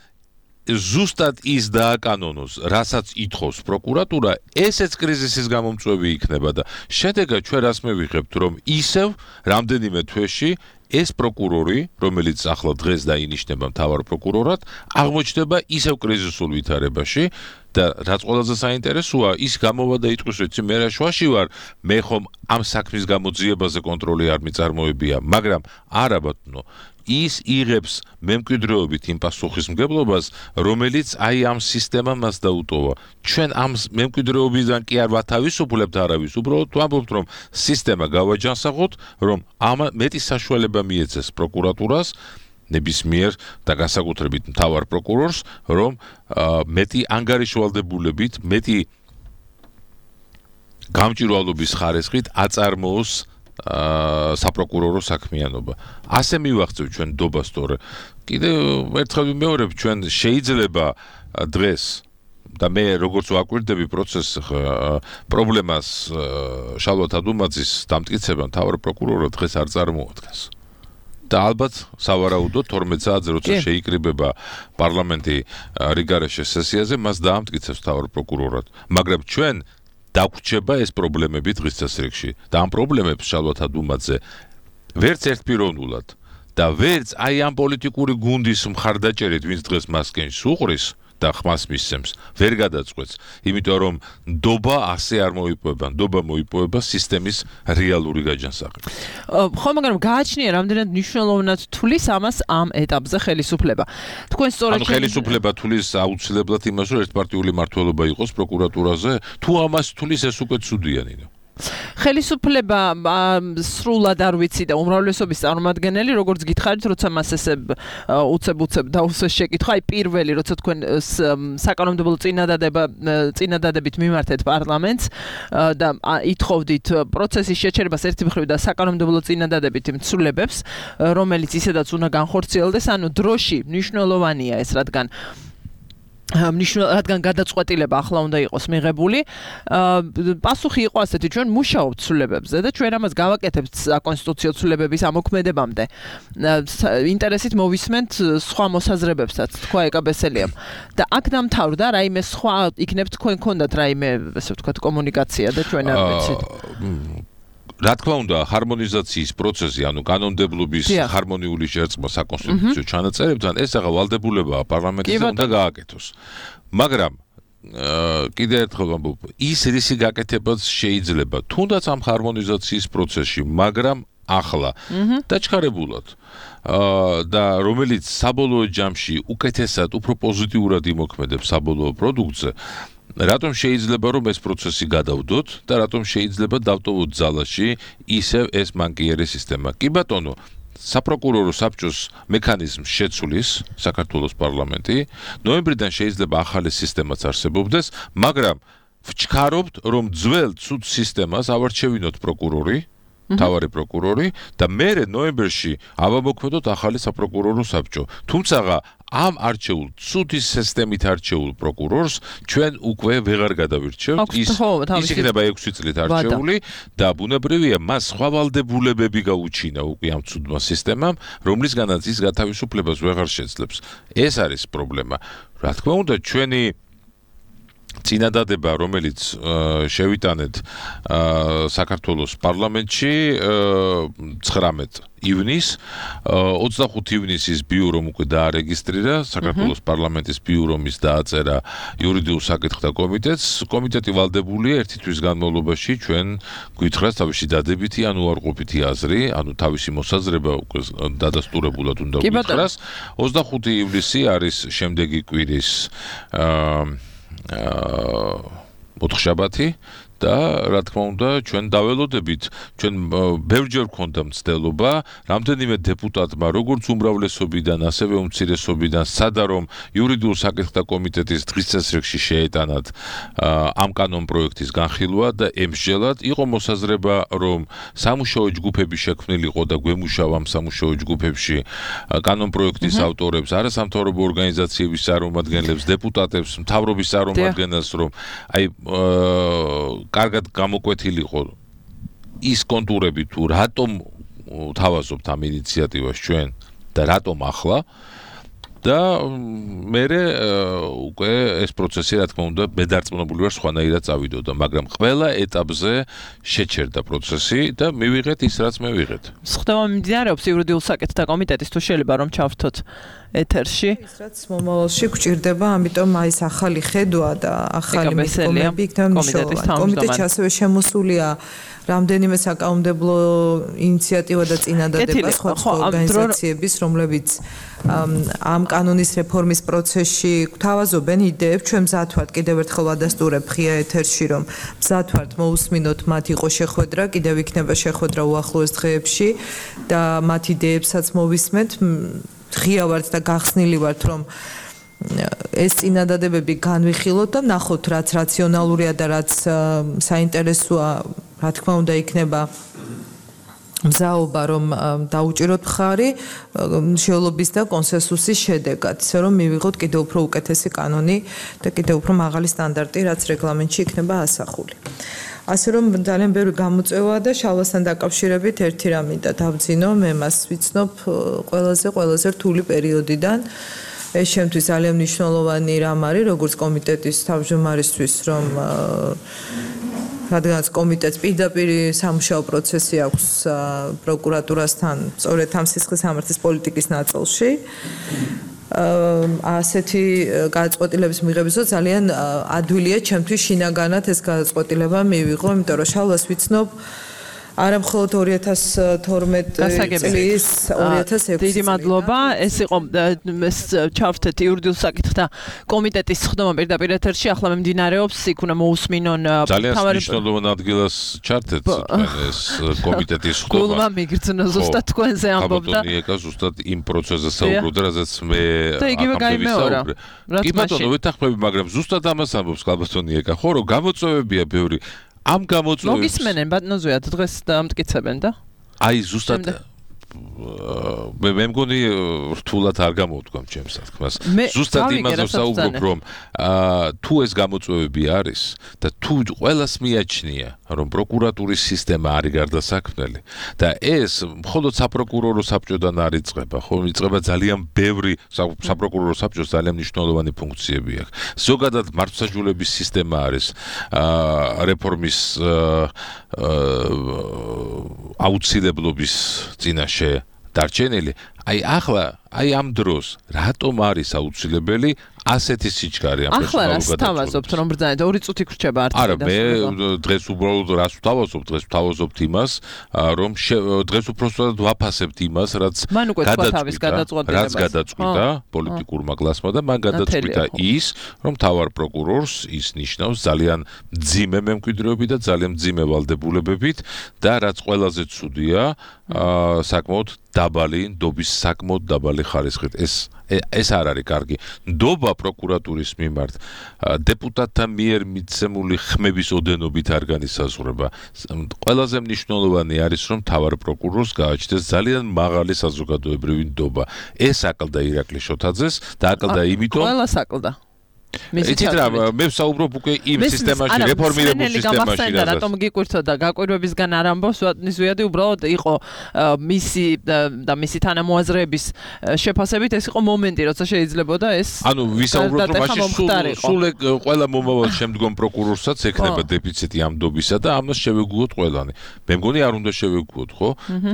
ზუსტად ის დააკანონოს, რასაც ითხოვს პროკურატურა, ესეც კრიზისის გამომწვევი იქნება და შედეგად ჩვენ რას მივიღებთ, რომ ისევ რამდენიმე თვეში ეს პროკურორი, რომელიც ახლა დღეს დაინიშნება მთავარ პროკურორად, აღმოჩნდება ისევ კრიზისულ ვითარებაში და რაც ყველაზე საინტერესოა, ის გამოვა და იტყვის, რომ მე რა შვაში ვარ, მე ხომ ამ საქმის გამოძიებაზე კონტროლი არ მიწარმოებია, მაგრამ არა ბატონო, ის იღებს მემკვიდრეობით იმ პასუხისმგებლობას, რომელიც აი ამ სისტემამ მას დაუტოვა. ჩვენ ამ მემკვიდრეობიდან კი არ ვათავისუფლებთ არავის, უბრალოდ ვამბობთ, რომ სისტემა გავაჯანსაღოთ, რომ ამ მეტი საშუალება მიეცეს პროკურატურას, ნებისმიერ და განსაკუთრებით მთავარ პროკურორს, რომ მეტი ანგარიშვალდებულებით, მეტი გამჭვირვალობის ხარისხით აწარმოოს საპროკურორო საქმიანობა. ასე მივახცევ ჩვენ დობას თორე. კიდევ ერთხელ ვიმეორებ, ჩვენ შეიძლება დღეს და მე როგორც ვაკვირდები პროცესს პრობლემას შალვა თადუმაძის დამტკიცება მთავარ პროკურორად დღეს არ წარმოადგენს. და ალბათ სავარაუდოდ 12 საათზე როცა შეიკრიბება პარლამენტი რიგარეშე სესიაზე, მას დაამტკიცებს მთავარ პროკურორად. მაგრამ ჩვენ დაგვრჩება ეს პრობლემები დღის წესრიგში და ამ პრობლემებს შალვა თადუმაძე ვერც ერთპიროვნულად და ვერც აი ამ პოლიტიკური გუნდის მხარდაჭერით, ვინც დღეს მასკენს უყრის და ხმას მისცემს, ვერ გადაწყვეტს, იმიტომ რომ ნდობა ასე არ მოიპოვება, ნდობა მოიპოვება სისტემის რეალური გაჯანსაღებით. ხო, მაგრამ გააჩნია რამდენად მნიშვნელოვნად თulis ამას ამ ეტაპზე ხელისუფლება. თქვენ სწორედ ხელისუფლება თulis აუცილებლად იმას, რომ ერთპარტიული მმართველობა იყოს პროკურატურაზე, თუ ამას თulis ეს უკვე ცუდია ნინო. ხელისუფლება სრულად არ ვიცი და უმრავლესობის წარმომადგენელი, როგორც გითხარით, როცა მას ესე უცებ დაუსვეს შეკითხვა, აი პირველი, როცა თქვენ საკანონმდებლო წინადადებით მიმართეთ პარლამენტს და ითხოვდით პროცესის შეჩერებას ერთი მხრივ და საკანონმდებლო წინადადებით მცვლილებებს, რომელიც ისედაც უნდა განხორციელდეს, ანუ დროში მნიშვნელოვანია ეს, რადგან გადაწყვეტილება ახლა უნდა იყოს მიღებული. პასუხი იყო ასეთი, ჩვენ მუშაობთ ცვლილებებზე და ჩვენ ამას გავაკეთებთ საკონსტიტუციო ცვლილებების ამოქმედებამდე. ინტერესით მოვისმენთ სხვა მოსაზრებებსაც, თქვა ეკაბესელიამ. და აქ დამთავრდა, რაიმე სხვა იქნებ თქვენ გქონდათ რაიმე, ასე ვთქვათ, კომუნიკაცია და ჩვენ არ ვიცით. რა თქმა უნდა, ჰარმონიზაციის პროცესი, ანუ კანონმდებლობის ჰარმონიული შერწყმა საკონსტიტუციო ჩანაწერებთან, ეს აღა ვალდებულებაა პარლამენტის უნდა გააკეთოს. მაგრამ კიდევ ერთხელ ვამბობ, ის რისი გაკეთებაც შეიძლება, თუნდაც ამ ჰარმონიზაციის პროცესში, მაგრამ ახლა დაჩქარებულად და რომელიც საბოლოო ჯამში უკეთესად, უფრო პოზიტიურად იმოქმედებს საბოლოო პროდუქტზე, რატომ შეიძლება რომ ეს პროცესი გადავდოთ და რატომ შეიძლება დავტოვოთ ძალაში ისევ ეს მანკიერი სისტემა. კი ბატონო, საპროკურორო საბჭოს მექანიზმს შეცვლის საქართველოს პარლამენტი, ნოემბრიდან შეიძლება ახალი სისტემაც არსებობდეს, მაგრამ ვჩქარობთ რომ ძველ ცუდ სისტემას ავარჩევინოთ პროკურორი, მთავარი პროკურორი და მერე ნოემბერში ავამოქმედოთ ახალი საპროკურორო საბჭო. თუმცა ამ არჩეულ ცუდი სისტემით არჩეულ პროკურორს ჩვენ უკვე ვეღარ გადავირჩევთ. ის იქნება 6 წლით არჩეული და ბუნებრივია მას სხვა ვალდებულებები გაუჩინა უკვე ამ ცუდმა სისტემამ, რომლისგანაც ის გათავისუფლებას ვეღარ შეძლებს. ეს არის პრობლემა. რა თქმა უნდა, ჩვენი წინადადება, რომელიც შევიტანეთ საქართველოს პარლამენტში 19 ივნის 25 ივნისის ბიურომ უკვე დაარეგისტრირა საქართველოს პარლამენტის ბიურომის დააწერა იურიდიულ საკითხთა კომიტეტს კომიტეტი ვალდებულია ერთი თვის განმავლობაში ჩვენ გვითხრას თავისი დადებითი ან უარყოფითი აზრი ანუ თავისი მოსაზრება უკვე დადასტურებულად უნდა გვითხრას 25 ივლისი არის შემდეგი კვირის ოთხშაბათი და რა თქმა უნდა ჩვენ დაველოდებით ჩვენ ბევრჯერ გვქონდა მცდელობა რამდენიმე დეპუტატმა როგორც უმრავლესობიდან ასევე უმცირესობიდან სცადა რომ იურიდიულ საკითხთა კომიტეტის დღის წესრიგში შეეტანათ ამ კანონ პროექტის განხილვა და ემსჯელად იყო მოსაზრება რომ სამუშაო ჯგუფები შექმნილიყო და გვემუშავა ამ სამუშაო ჯგუფებში კანონ პროექტის ავტორებს არასამთავრობო ორგანიზაციების წარმომადგენლებს დეპუტატებს მთავრობის წარმომადგენელს რომ აი კარგად გამოკვეთილიყო ის კონტურები თუ რატომ თავაზობთ ამ ინიციატივას ჩვენ და რატომ ახლა და მე უკვე ეს პროცესი რა თქმა უნდა მედარწმუნებული ვარ სხვანაირად წავიდოდა მაგრამ ყველა ეტაპზე შეჩერდა პროცესი და მივიღეთ ის რაც მე ვიღეთ ხდება მიმდინარეობს იურიდიულ საკითხთა კომიტეტის თუ შეიძლება რომ ჩავრთოთ ეთერში ის რაც მომავალში გვჭირდება ამიტომ აი ეს ახალი ხედვა და ახალი მიდგომები იქნება მნიშვნელოვანი კომიტეტში ასევე შემოსულია რამდენიმე საკანონმდებლო ინიციატივა და წინადადება სხვა ორგანიზაციების რომლებიც ამ კანონის რეფორმის პროცესში გვთავაზობენ იდეებს ჩვენ მზად ვართ კიდევ ერთხელ ვადასტურებ ღია ეთერში რომ მზად ვართ მოусმინოთ მათ იყო შეხვედრა კიდევ იქნება შეხვედრა უახლოეს დღეებში და მათ იდეებსაც მოვისმენთ ღია ვართ და გახსნილი ვართ რომ ეს წინადადებები განვიხილოთ და ნახოთ რაც რაციონალურია და რაც საინტერესოა რა თქმა უნდა იქნება მზაობა რომ დაუჭიროთ მხარი მშევლობის და კონსენსუსის შედეგად ისე რომ მივიღოთ კიდევ უფრო უკეთესი კანონი და კიდევ უფრო მაღალი სტანდარტი რაც რეგლამენტში იქნება ასახული ასე რომ ძალიან ბევრი გამოწვევა და შალვასთან დაკავშირებით ერთი რამ მინდა დავძინო მე მას ვიცნობ ყველაზე რთული პერიოდიდან ეს შემთთვის ძალიან მნიშვნელოვანი რამ არის როგორც კომიტეტის თავმჯდომარისთვის რომ რადგანაც კომიტეტს პირდაპირ სამუშაო პროცესი აქვს პროკურატურასთან სწორედ ამ სისხლის სამართლის პოლიტიკის ნაწილში ასეთი გადაწყვეტილების მიღებისას ძალიან ადვილია ჩემთვის შინაგანად ეს გადაწყვეტილება მივიღო იმიტომ რომ შალვას ვიცნობ არა მხოლოდ 2012 წლის 2006 დიდი მადლობა ეს იყო ჩავრთეთ იურიდიულ საკითხთა კომიტეტის ხდომა პირდაპირ ეთერში ახლა მიმდინარეობს იქ უნდა მოусმინონ ძალიან მნიშვნელოვან ადგილას ჩართეთ ეს კომიტეტის ხდომა გულმა მიგრძნო ზუსტად თქვენზე ამბობდა ეკა ზუსტად იმ პროცესზე საუბრობდა რაზეც მე და იგივე გაიმეორა კი ბატონო ვეთანხმები მაგრამ ზუსტად ამას ამბობს კალბატონი ეკა ხო რომ გამოწვევებია ბევრი ამ გამოწვევებს მოგისმენენ ბატონოზოят დღეს დამტკიცებენ და აი ზუსტად მე მგონი რთულად არ გამოვთქვამ ჩემს თქმას ზუსტად იმაზე საუბრობ რომ თუ ეს გამოწვევები არის და თუ ყველას მიაჩნია რომ პროკურატურის სისტემა არის გარდასაქმნელი და ეს მხოლოდ საპროკურორო საბჭოდან არ იწყება ხო იწყება ძალიან ბევრი საპროკურორო საბჭოს ძალიან მნიშვნელოვანი ფუნქციები აქვს ზოგადად მართლმსაჯულების სისტემა არის რეფორმის აუცილებლობის წინაშე დარჩენილი აი ახლა აი ამ დროს რატომ არის აუცილებელი ასეთი სიჩქარე ამ ახლა რას თავაზობთ რომ ბრძანეთ 2 წუთი გრჩება არც არა მე დღეს უბრალოდ რას ვთავაზობ დღეს ვთავაზობთ имас რომ დღეს უბრალოდ ვაფასებთ იმას რაც გადაწყვიტა პოლიტიკურმა კლასმა და მან გადაწყვიტა ის რომ თავარ პროკურორს ის ნიშნავს ძალიან მძიმე მემკვიდრეობით და ძალიან მძიმე ვალდებულებებით და რაც ყველაზე ცუდია საკმაოდ დაბალი ნდობის საკმაოდ დაბალი ხარისხით ეს არ არის კარგი ნდობა პროკურატურის მიმართ დეპუტატთა მიერ მიცემული ხმების ოდენობით არ განისაზღვრება ყველაზე მნიშვნელოვანი არის რომ თავარ პროკურორს გააჩნდეს ძალიან მაღალი საზოგადოებრივი ნდობა ეს აკლდა ირაკლი შოთაძეს და აკლდა იმიტომ ყველას აკლდა იცით რა, მე ვსაუბრობ უკვე იმ სისტემაში, რეფორმირებულ სისტემაში, რაზეც. რატომ გიკვირთოდა გაკვირვებისგან არ ამბობს, ზვიადი უბრალოდ იყო მისი თანამოაზრეების შეფასებით ეს იყო მომენტი, როცა შეიძლებოდა ეს ანუ ვისაუბროთ რომ მაშინ სულ ყველა მომავალ შემდგომ პროკურორსაც ექნება დეფიციტი ამ დობისა და ამას შევეგუოთ ყველანი. მე მგონი არ უნდა შევეგუოთ, ხო?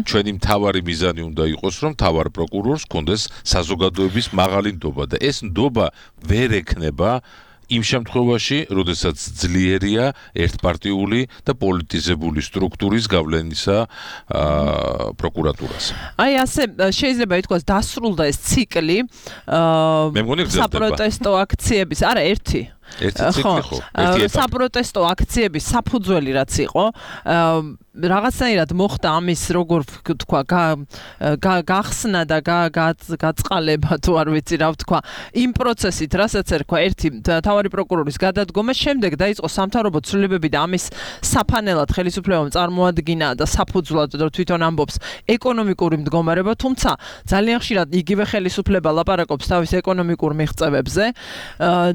ჩვენი მთავარი მიზანი უნდა იყოს რომ მთავარ პროკურორს კონდეს საზოგადოების მაღალი ნდობა და ეს ნდობა ვერ ექნება იმ შემთხვევაში, როდესაც ძლიერია ერთპარტიული და პოლიტიზებული სტრუქტურის გავლენისა პროკურატურას. აი ასე შეიძლება ითქვას დასრულდა ეს ციკლი საპროტესტო აქციების, არა ერთი საპროტესტო აქციების საფუძველი რაც იყო რაღაცნაირად მოხდა ამის როგორ თქვა გახსნა და გაწყალება თუ არ ვიცი რა ვთქვა იმ პროცესით რასაც ერქვა ერთი მთავარი პროკურორის გადადგომა შემდეგ დაიწყო სამთავრობო ცვლილებები და ამის საფანელად ხელისუფლებამ წარმოადგინა და საფუძვლად თვითონ ამბობს ეკონომიკური მდგომარეობა თუმცა ძალიან ხშირად იგივე ხელისუფლება ლაპარაკობს თავის ეკონომიკურ მიღწევებზე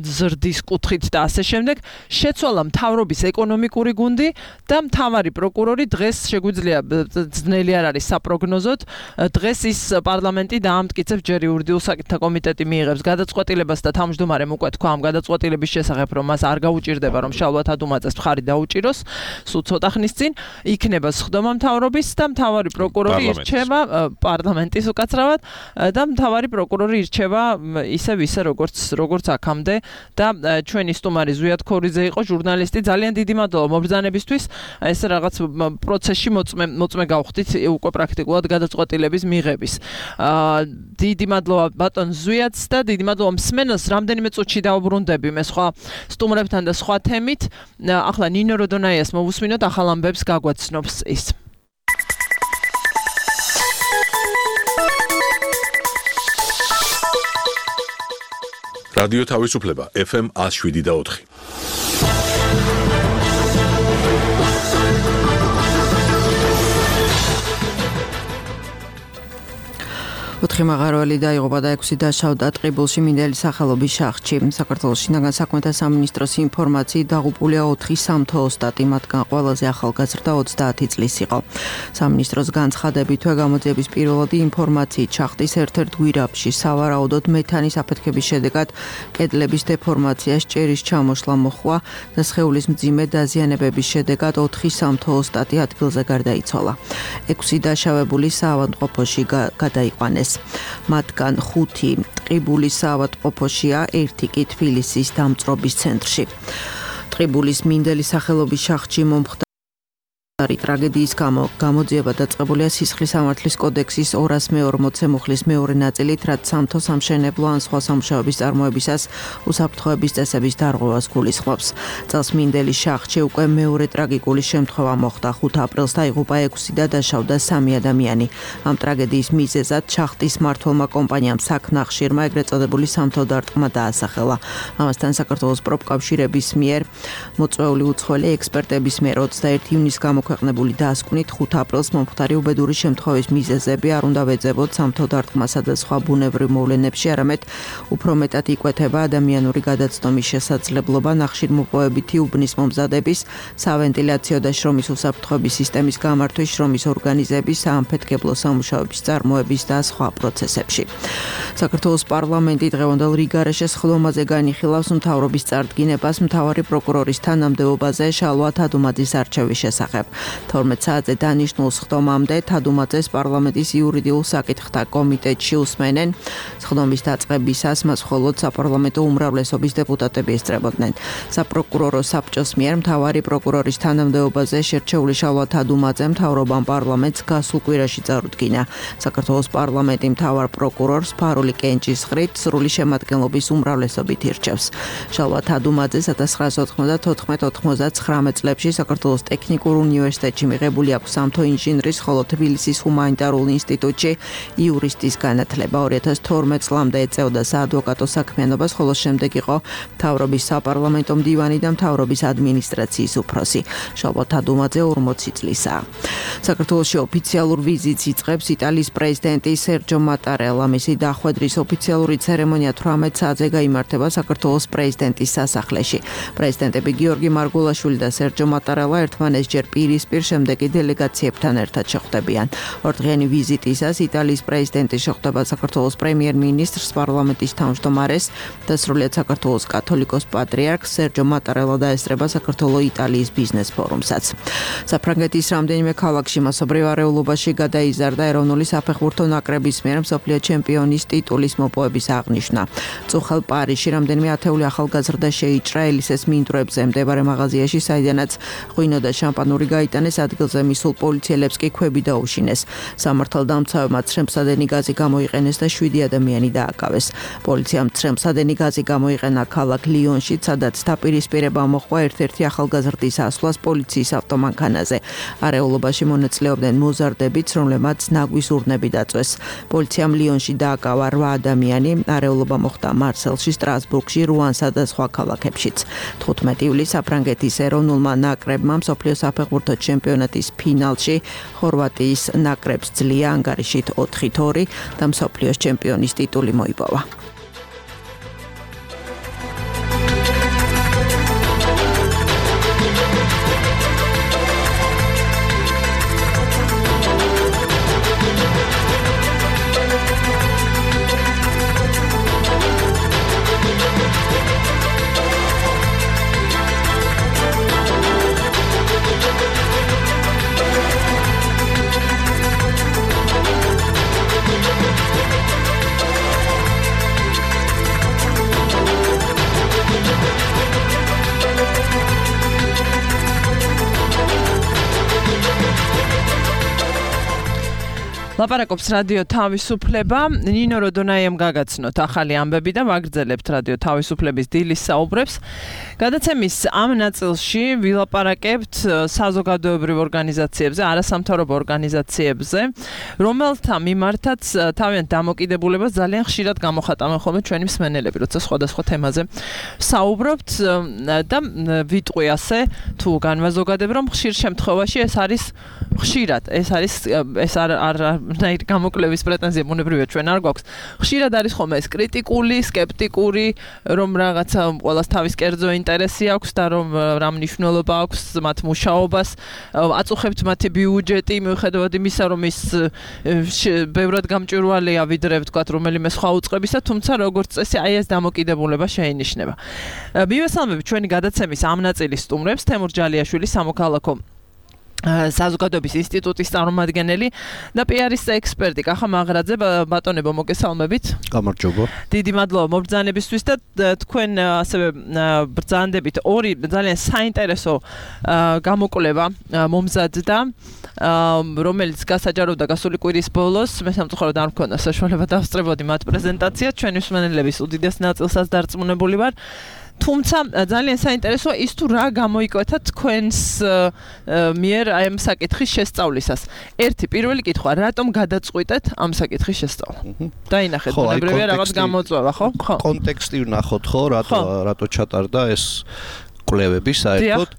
ზრდის კუთხით და ასე შემდეგ შეცვალა მთავრობის ეკონომიკური გუნდი და მთავარი პროკურორი დღეს შეგვიძლია ძნელი არ არის საპროგნოზოდ დღეს ის პარლამენტი დაამტკიცებს ჯერ იურიდიულ საკითხთა კომიტეტი მიიღებს გადაწყვეტილებას და თავმჯდომარემ უკვე თქვა ამ გადაწყვეტილების შესახებ რომ მას არ გაუჭირდება რომ შალვა თადუმაძეს მხარი დაუჭიროს სულ ცოტა ხნის წინ იქნება სხდომა მთავრობის და მთავარი პროკურორი ირჩევა პარლამენტის უკაცრავად და მთავარი პროკურორი ირჩევა ისევ როგორც აქამდე და ჩვენი სტუმარი ზვიად ქორიძე იყო ჟურნალისტი ძალიან დიდი მადლობა მობრძანებისთვის ეს რაღაც პროცესში მოწმე გავხდით უკვე პრაქტიკულად გადაწყვეტილების მიღების დიდი მადლობა ბატონ ზვიადს და დიდი მადლობა მსმენელს რამდენიმე წუთში დავუბრუნდები მე სხვა სტუმრებთან და სხვა თემით ახლა ნინო როდონაიას მოვუსმინოთ ახალ ამბებს გაგვაცნობს ის რადიო თავისუფლება FM 107.4 ოთხი მაღარველი დაიღუპა და 6 დაშავდა ტყიბულში მინდელის სახელობის შახტში. საქართველოს შინაგან საქმეთა სამინისტროს ინფორმაციით დაღუპულია 4 სამთო-ოსტატი, მათგან ყველაზე ახალგაზრდა 30 წლის იყო. სამინისტროს განცხადებითვე გამოძიების პირველადი ინფორმაციით შახტის ერთ-ერთ გვირაბში სავარაუდოდ მეთანის აფეთქების შედეგად კედლების დეფორმაცია, ჭერის ჩამოშლა მოხდა და სხეულის მძიმე დაზიანებების შედეგად 4 სამთო-ოსტატი ადგილზე გარდაიცვალა. 6 დაშავებული საავადმყოფოში გადაიყვანეს. მათგან 5 ტყიბულის საავადმყოფოშია, 1 კი თბილისის დამწრობის ცენტრში. ტყიბულის მინდელის სახელობის შახტში მომხდარი ტრაგედიის გამო გამოძიება დაწყებულია სისხლის სამართლის კოდექსის 240 მუხლის მეორე ნაწილით, რაც სამთო სამშენებლო ან სხვა სამუშაოების წარმოებისას უსაფრთხოების წესების დარღვევას გულისხმობს. წელს მინდელის შახტში უკვე მეორე ტრაგიკული შემთხვევა მოხდა. 5 აპრილს დაიღუპა 6 და დაშავდა 3 ადამიანი. ამ ტრაგედიის მიზეზად შახტის მმართველმა კომპანიამ საქნახშირმა ეგრეთ წოდებული სამთო დარტყმა დაასახელა. ამასთან საქართველოს პროფკავშირების მიერ მოწვეული უცხოელი ექსპერტების მიერ 21 ივნისს გამოქვეყნებული დასკვნით 5 აპრილს მომხდარი უბედური შემთხვევის მიზეზები არ უნდა ვეძებოთ სამთო დარტყმასა და სხვა ბუნებრივ მოვლენებში, არამედ უფრო მეტად იკვეთება ადამიანური გადაცნობის შესაძლებლობა, ნახშირმოპოვებითი უბნის მომზადების, სავენტილაციო და შრომის უსაფრთხოების სისტემის გამართვის, შრომის ორგანიზების, საამფეთქებლო სამუშაოების წარმოების და სხვა პროცესებში. საქართველოს პარლამენტი დღევანდელ რიგარეშე სხდომაზე განიხილავს მთავრობის წარდგინებას მთავარი პროკურორის თანამდებობაზე შალვა თადუმაძის არჩევის შესახებ. 12 საათზე დანიშნულ სხდომამდე თადუმაძეს პარლამენტის იურიდიულ საკითხთა კომიტეტში უსმენენ. სხდომის დაწყებისას მას მხოლოდ საპარლამენტო უმრავლესობის დეპუტატები ესწრებოდნენ. საპროკურორო საბჭოს მიერ მთავარი პროკურორის თანამდებობაზე შერჩეული შალვა თადუმაძე მთავრობამ პარლამენტს გასულ კვირაში წარუდგინა. საქართველოს პარლამენტი მთავარ პროკურორს ფარული კენჭისყრით სრული შემადგენლობის უმრავლესობით ირჩევს. შალვა თადუმაძე 1994-99 წლებში საქართველოს ტექნიკურ უნივერსიტეტში უნივერსიტეტში მიღებული აქვს სამთო ინჟინრის, ხოლო თბილისის ჰუმანიტარულ ინსტიტუტში იურისტის განათლება. 2012 წლამდე ეწეოდა საადვოკატო საქმიანობას, ხოლო შემდეგ იყო მთავრობის საპარლამენტო მდივანი და მთავრობის ადმინისტრაციის უფროსი. შალვა დუმაძე 40 წლისაა. საქართველოში ოფიციალურ ვიზიტს იწყებს იტალიის პრეზიდენტი სერჯო მატარელა. მისი დახვედრის ოფიციალური ცერემონია 18 საათზე გაიმართება საქართველოს პრეზიდენტის სასახლეში. პრეზიდენტები გიორგი მარგულაშვილი და სერჯო მატარელა ერთმანეთსჯერ პირისპირ, შემდეგ კი დელეგაციებთან ერთად შეხვდებიან. ორდღიანი ვიზიტისას იტალიის პრეზიდენტი შეხვდება საქართველოს პრემიერ-მინისტრს, პარლამენტის თავმჯდომარეს და სრულიად საქართველოს კათოლიკოს პატრიარქს. სერჯო მატარელა დაესწრება საქართველო-იტალიის ბიზნეს ფორუმსაც. საფრანგეთის რამდენიმე ქალაქში მასობრივ არეულობაში გადაიზარდა ეროვნული საფეხბურთო ნაკრების მიერ მსოფლიო ჩემპიონის ტიტულის მოპოვების აღნიშვნა. წუხელ პარიზში რამდენიმე ათეული ახალგაზრდა შეიჭრა ელისეს მინდვრებზე მდებარე მაღაზიაში, საიდანაც ღვინო და შამპანური გაიტანეს, ადგილზე მისულ პოლიციელებს კი ქვები დაუშინეს. სამართალდამცავებმა ცრემლსადენი გაზი გამოიყენეს და 7 ადამიანი დააკავეს. პოლიციამ ცრემლსადენი გაზი გამოიყენა ქალაქ ლიონში, სადაც დაპირისპირება მოჰყვა ერთ-ერთი ახალგაზრდის ასვლას პოლიციის ავტომანქანაზე. არეულობაში მონაწილეობდნენ მოზარდებიც, რომლებმაც ნაგვის ურნები დაწვეს. პოლიციამ ლიონში დააკავა 8 ადამიანი. არეულობა მოხდა მარსელში, სტრასბურგში, რუანსა და სხვა ქალაქებშიც. 15 ივლისს საფრანგეთის ეროვნულმა ნაკრებმა მსოფლიო საფეხბურთო ჩემპიონატის ფინალში ხორვატიის ნაკრებს ძლია, ანგარიშით 4-2 და მსოფლიოს ჩემპიონის ტიტული მოიპოვა. ლაპარაკობს რადიო თავისუფლება. ნინო როდონაიამ გაგაცნოთ ახალი ამბები და ვაგრძელებთ რადიო თავისუფლების დილის საუბრებს. გადაცემის ამ ნაწილში ვილაპარაკებთ საზოგადოებრივ ორგანიზაციებზე, არასამთავრობო ორგანიზაციებზე, რომელთა მიმართაც თავიანთ დამოკიდებულებას ძალიან ხშირად გამოხატავენ ხოლმე ჩვენი მსმენელები, როცა სხვადასხვა თემაზე საუბრობთ და ვიტყვი ასე თუ განვაზოგადებ, რომ ხშირ შემთხვევაში ეს არის ხშირად, ეს არ ნაირ გამოკლების პრეტენზია მონებრივია ჩვენ არ გვაქვს. ხშირად არის ხოლმე ეს კრიტიკული, სკეპტიკური, რომ რაღაცა ყველას თავის კერძო ინტერესი აქვს და რომ რა მნიშვნელობა აქვს მათ მუშაობას, აწუხებთ მათი ბიუჯეტი, მიუხედავად იმისა, რომ ის ბევრად გამჭვირვალეა ვიდრე ვთქვათ რომელიმე სხვა უწყებისა, თუმცა როგორც წესი აი ეს დამოკიდებულება შეინიშნება. მივესალმებით ჩვენი გადაცემის ამ ნაწილის სტუმრებს, თემურ ჯალიაშვილი, სამოქალაქო საზოგადოების ინსტიტუტის წარმომადგენელი და პიარის ექსპერტი კახა მაღრაძე. ბატონებო, მოგესალმებით. გამარჯობა. დიდი მადლობა მობრძანებისთვის და თქვენ ასევე ბრძანდებით ორი ძალიან საინტერესო გამოკვლევა მომზადდა, რომელიც გასაჯაროვდა გასული კვირის ბოლოს. მე სამწუხაროდ არ მქონდა საშუალება დავსწრებოდი მათ პრეზენტაციას, ჩვენი მსმენელების უდიდეს ნაწილსაც დარწმუნებული ვარ. თუმცა ძალიან საინტერესოა ის თუ რა გამოიკვეთა თქვენს მიერ აი ამ საკითხის შესწავლისას. ერთი პირველი კითხვა, რატომ გადაწყვიტეთ ამ საკითხის შესწავლა? დაინახეთ, მონებრივია რაღაც გამოწვევა, ხო? კონტექსტი ვნახოთ, ხო, რატო ჩატარდა ეს კვლევები საერთოდ.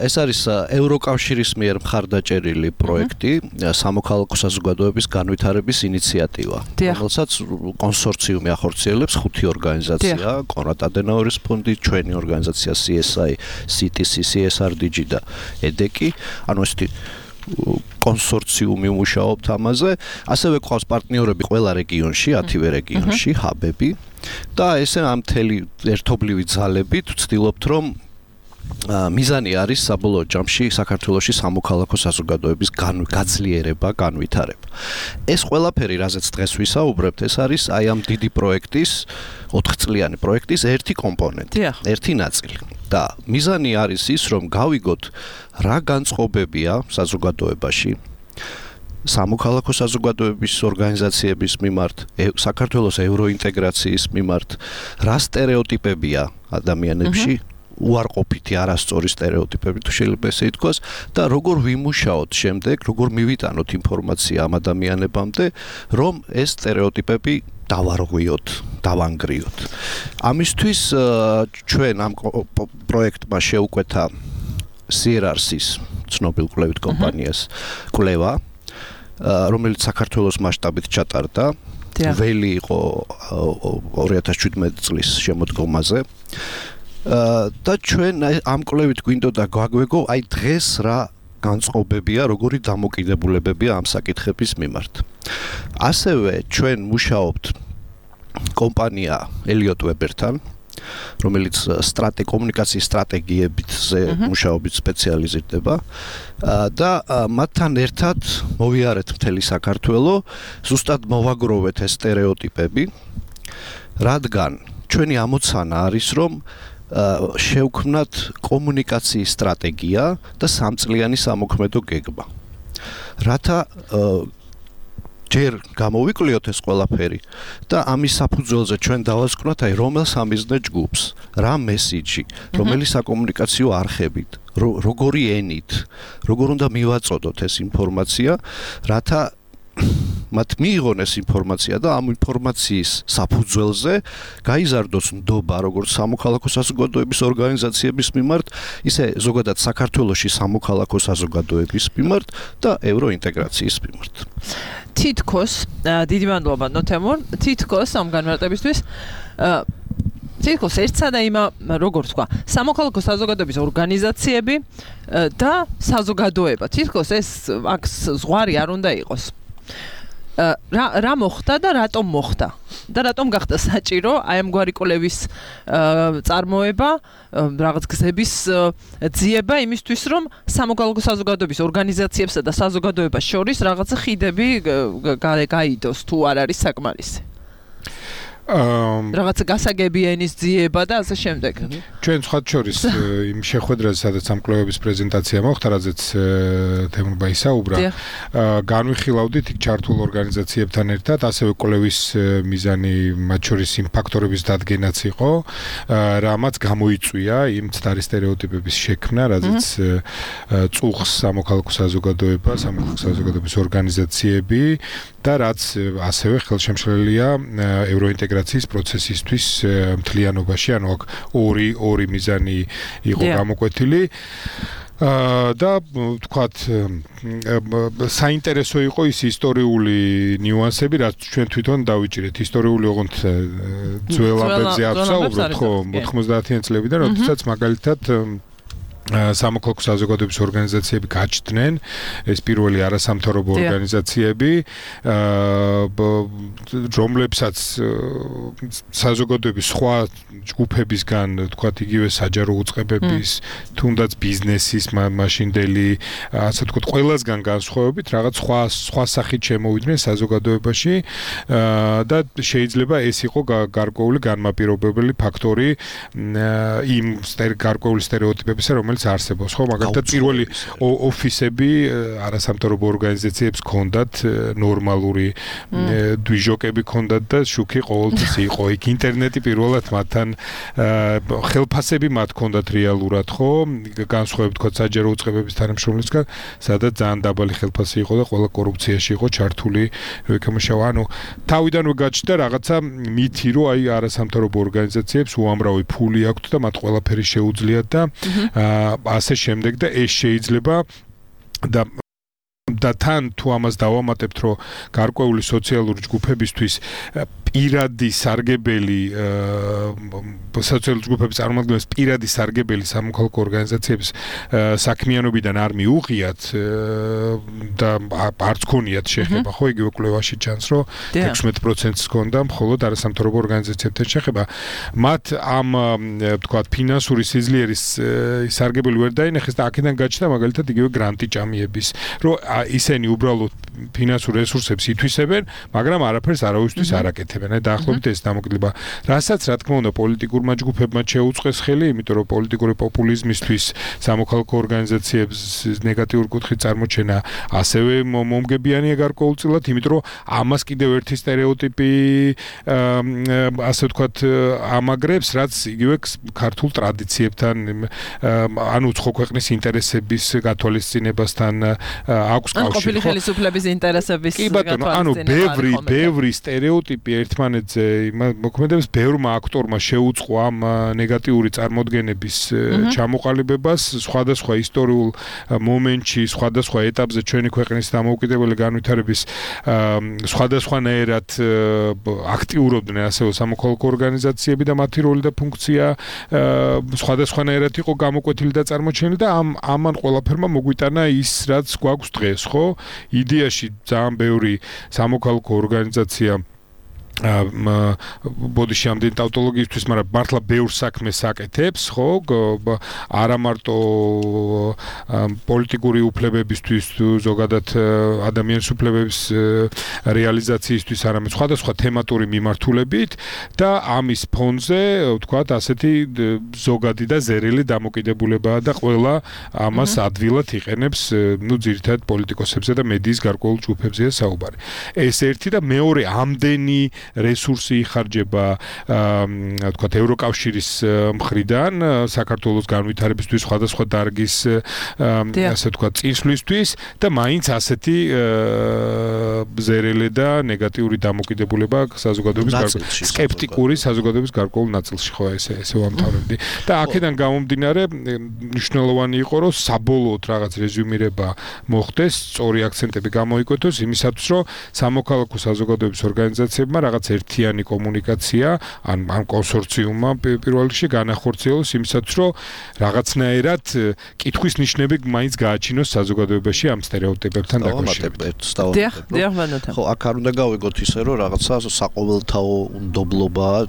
ეს არის ევროკავშირის მიერ მხარდაჭერილი პროექტი, სამოქალაქო საზოგადოების განვითარების ინიციატივა, რომელსაც კონსორციუმი ახორციელებს 5 ორგანიზაცია, კონრად ადენაუერის ფონდი, ჩვენი ორგანიზაცია CSI, CTC, CSRDG და EDEC. ანუ ესეთი კონსორციუმი მუშაობთ ამაზე. ასევე ყავს პარტნიორები ყველა რეგიონში, 10 რეგიონში, ჰაბები და ესე ამ მთელი ერთობლივი ძალებით ვცდილობთ, რომ მიზანი არის საბოლოო ჯამში საქართველოში სამოქალაქო საზოგადოების გაძლიერება, განვითარება. ეს ყველაფერი, რაზეც დღეს ვისაუბრებთ, ეს არის აი ამ დიდი პროექტის, 4 წლიანი პროექტის ერთი კომპონენტი, ერთი ნაწილი. და მიზანი არის ის, რომ გავიგოთ რა განწყობებია საზოგადოებაში, სამოქალაქო საზოგადოების ორგანიზაციების მიმართ, საქართველოს ევროინტეგრაციის მიმართ, რა სტერეოტიპებია ადამიანებში, უარყოფითი არასწორი სტერეოტიპები თუ შეიძლება ესე ითქვას და როგორ ვიმუშაოთ შემდეგ, როგორ მივიტანოთ ინფორმაცია ამ ადამიანებამდე, რომ ეს სტერეოტიპები დავარღვიოთ, დავანგრიოთ. ამისთვის ჩვენ ამ პროექტმა შეუკვეთა CRRC-ის ცნობილ კვლევით კომპანიას კვლევა, რომელიც საქართველოს მასშტაბით ჩატარდა. ველი იყო 2017 წლის შემოდგომაზე. და ჩვენ ამ კვლევით გვინდოდა გაგვეგო, აი დღეს რა განწყობებია, როგორი დამოკიდებულებებია ამ საკითხების მიმართ. ასევე ჩვენ მუშაობთ კომპანია Elliott Webber-თან, რომელიც კომუნიკაციის სტრატეგიებზე მუშაობით სპეციალიზირდება და მათთან ერთად მოვიარეთ მთელი საქართველო, ზუსტად მოვაგროვეთ ეს სტერეოტიპები, რადგან ჩვენი ამოცანა არის, რომ შევქმნათ კომუნიკაციის სტრატეგია და სამწლიანი სამოქმედო გეგმა. რათა ჯერ გამოვიკვლიოთ ეს ყველაფერი და ამის საფუძველზე ჩვენ დავასკვნათ აი რომელ სამიზნე ჯგუფს, რა მესიჯი, რომელი საკომუნიკაციო არხებით, როგორი ენით, როგორ უნდა მივაწოდოთ ეს ინფორმაცია, რათა მათ მიიღონ ეს ინფორმაცია და ამ ინფორმაციის საფუძველზე გაიზარდოს ნდობა როგორც სამოქალაქო საზოგადოების ორგანიზაციების მიმართ, ისე ზოგადად საქართველოში სამოქალაქო საზოგადოების მიმართ და ევროინტეგრაციის მიმართ. თითქოს დიდი მადლობა ნოთემურ, თითქოს ამ განმარტებისთვის თითქოს ერთსა და იმა როგორ თქვა, სამოქალაქო საზოგადოების ორგანიზაციები და საზოგადოება. თითქოს ეს აქ ზღვარი არ უნდა იყოს. რა მოხდა და რატომ მოხდა და რატომ გახდა საჭირო აი ამგვარი კვლევის წარმოება, რაღაც გზების ძიება იმისთვის, რომ სამოქალაქო საზოგადოების ორგანიზაციებსა და საზოგადოებას შორის რაღაცა ხიდები გაიდოს თუ არ არის საკმარისი. რაღაცა გასაგები ენის ძიება და ასე შემდეგ. ჩვენ სხვა შორის იმ შეხვედრაზე, სადაც ამ კვლევების პრეზენტაცია მოხდა, რაზეც თემურბა ისაუბრა, განვიხილავდით იქ ჩართულ ორგანიზაციებთან ერთად, ასევე კვლევის მიზანი მათ შორის იმ ფაქტორების დადგენაც იყო, რამაც გამოიწვია იმ ცდარი სტერეოტიპების შექმნა, რაზეც წუხს სამოქალაქო საზოგადოება, სამოქალაქო საზოგადოების ორგანიზაციები და რაც ასევე ხელშემშლელია ევროინტეგრაციის პროცესისთვის მთლიანობაში, ანუ აქ ორი მიზანი იყო გამოკვეთილი. და თქვათ საინტერესო იყო ის ისტორიული ნიუანსები, რაც ჩვენ თვითონ დავიჭირეთ. ისტორიული ოღონდ ძველ ამბებზე აღსაუბროთ, ხო, 90-იან წლებიდან, როდესაც მაგალითად სამოქალაქო საზოგადოების ორგანიზაციები გაჩნდნენ, ეს პირველი არასამთავრობო ორგანიზაციები, რომლებსაც საზოგადოების სხვა ჯგუფებისგან, თქვათ, იგივე საჯარო უწყებების, თუნდაც ბიზნესის, მაშინდელი, ასე ვთქვათ, ყველასგან განსხვავებით, რაღაც სხვა სახით შემოვიდნენ საზოგადოებაში და შეიძლება ეს იყო გარკვეული განმაპირობებელი ფაქტორი იმ გარკვეული სტერეოტიპებისა, რომელიც არსებობს, ხო, მაგალითად პირველი ოფისები არასამთავრობო ორგანიზაციებს ჰქონდათ ნორმალური დვიჟოკები ჰქონდათ და შუქი ყოველთვის იყო. იქ ინტერნეტი პირველად მათთან ხელფასები მათ ჰქონდათ რეალურად, ხო, განსხვავებით თქვა საჯარო უწყებების თანამშრომლისგან, სადაც ძალიან დაბალი ხელფასი იყო და ყველა კორუფციაში იყო ჩართული, როიქამშავა. ანუ თავიდანვე გაჩნდა რაღაცა მითი, რომ აი არასამთავრობო ორგანიზაციებს უამრავი ფული აქვთ და მათ ყველაფერი შეუძლიათ და ასე შემდეგ და ეს შეიძლება და თან თუ ამას დავამატებთ, რომ გარკვეული სოციალური ჯგუფებისთვის პირადი სარგებელი სოციალური ჯგუფების წარმომადგენლებს პირადი სარგებელი სამოქალაქო ორგანიზაციების საქმიანობიდან არ მიუღიათ და არც ქონიათ შეხება, ხო, იგივე კვლევაში ჩანს, რომ 16%-ს ჰქონდა მხოლოდ არასამთავრობო ორგანიზაციებთან შეხება. მათ ამ თქვათ ფინანსური სიძლიერის სარგებელი ვერ დაინახეს და აქედან გაჩნდა მაგალითად იგივე გრანტი ჭამიების, რომ ისინი უბრალოდ ფინანსურ რესურსებს ითვისებენ, მაგრამ არაფერს არავისთვის არ აკეთებენ. გააკეთებენ. აი დაახლოებით ეს დამოკიდება. რასაც რა თქმა უნდა პოლიტიკურმა ჯგუფებმა შეუწყეს ხელი, იმიტომ რომ პოლიტიკური პოპულიზმისთვის სამოქალაქო ორგანიზაციებს ნეგატიური კუთხით წარმოჩენა ასევე მომგებიანია გარკვეულწილად, იმიტომ რომ ამას კიდევ ერთი სტერეოტიპი ასე ვთქვათ ამაგრებს, რაც იგივე ქართულ ტრადიციებთან ანუ უცხო ქვეყნის ინტერესების გათვალისწინებასთან აქვს კავშირი. ყოფილი ხელისუფლების ინტერესების გათვალისწინება. ანუ ბევრი სტერეოტიპი ერთმანეთზე მოქმედებს, ბევრმა აქტორმა შეუწყო ამ ნეგატიური წარმოდგენების ჩამოყალიბებას სხვადასხვა ისტორიულ მომენტში, სხვადასხვა ეტაპზე ჩვენი ქვეყნის დამოუკიდებელი განვითარების სხვადასხვანაირად აქტიურობდნენ ასევე სამოქალაქო ორგანიზაციები და მათი როლი და ფუნქცია სხვადასხვანაირად იყო გამოკვეთილი და წარმოჩენილი და ამან ყველაფერმა მოგვიტანა ის რაც გვაქვს დღეს, ხო? იდეაში ძალიან ბევრი სამოქალაქო ორგანიზაცია ბოდიში ამდენი ტავტოლოგიისთვის, მაგრამ მართლა ბევრ საქმეს აკეთებს, ხო? არა მარტო პოლიტიკური უფლებებისთვის, ზოგადად ადამიანის უფლებების რეალიზაციისთვის, არამედ სხვადასხვა თემატური მიმართულებით და ამის ფონზე, ვთქვათ, ასეთი ზოგადი და ზერელი დამოკიდებულებაა და ყველა ამას ადვილად იყენებს, ძირითადად პოლიტიკოსებზე და მედიის გარკვეულ ჯგუფებზეა საუბარი. ეს ერთი და მეორე ამდენი რესურსი იხარჯება ვთქვათ ევროკავშირის მხრიდან საქართველოს განვითარებისთვის სხვადასხვა დარგის ასე ვთქვათ წინსვლისთვის და მაინც ასეთი ზერელი და ნეგატიური დამოკიდებულება საზოგადოების სკეპტიკური საზოგადოების გარკვეულ ნაწილში ხო ესე ვამთავრებდი და აქედან გამომდინარე მნიშვნელოვანი იყო რომ საბოლოოდ რაღაც რეზუმირება მოხდეს სწორი აქცენტები გამოიკვეთოს იმისათვის რომ სამოქალაქო საზოგადოების ორგანიზაციებმა რაღაც ერთიანი კომუნიკაცია ან კონსორციუმმა პირველ რიგში განახორციელოს იმისათვის რომ რაღაცნაირად კითხვის ნიშნები მაინც გააჩინოს საზოგადოებაში ამ სტერეოტიპებთან დაკავშირებით. ხო, აქ არ უნდა გავიგოთ ისე რომ რაღაცა საყოველთაო უნდობლობაა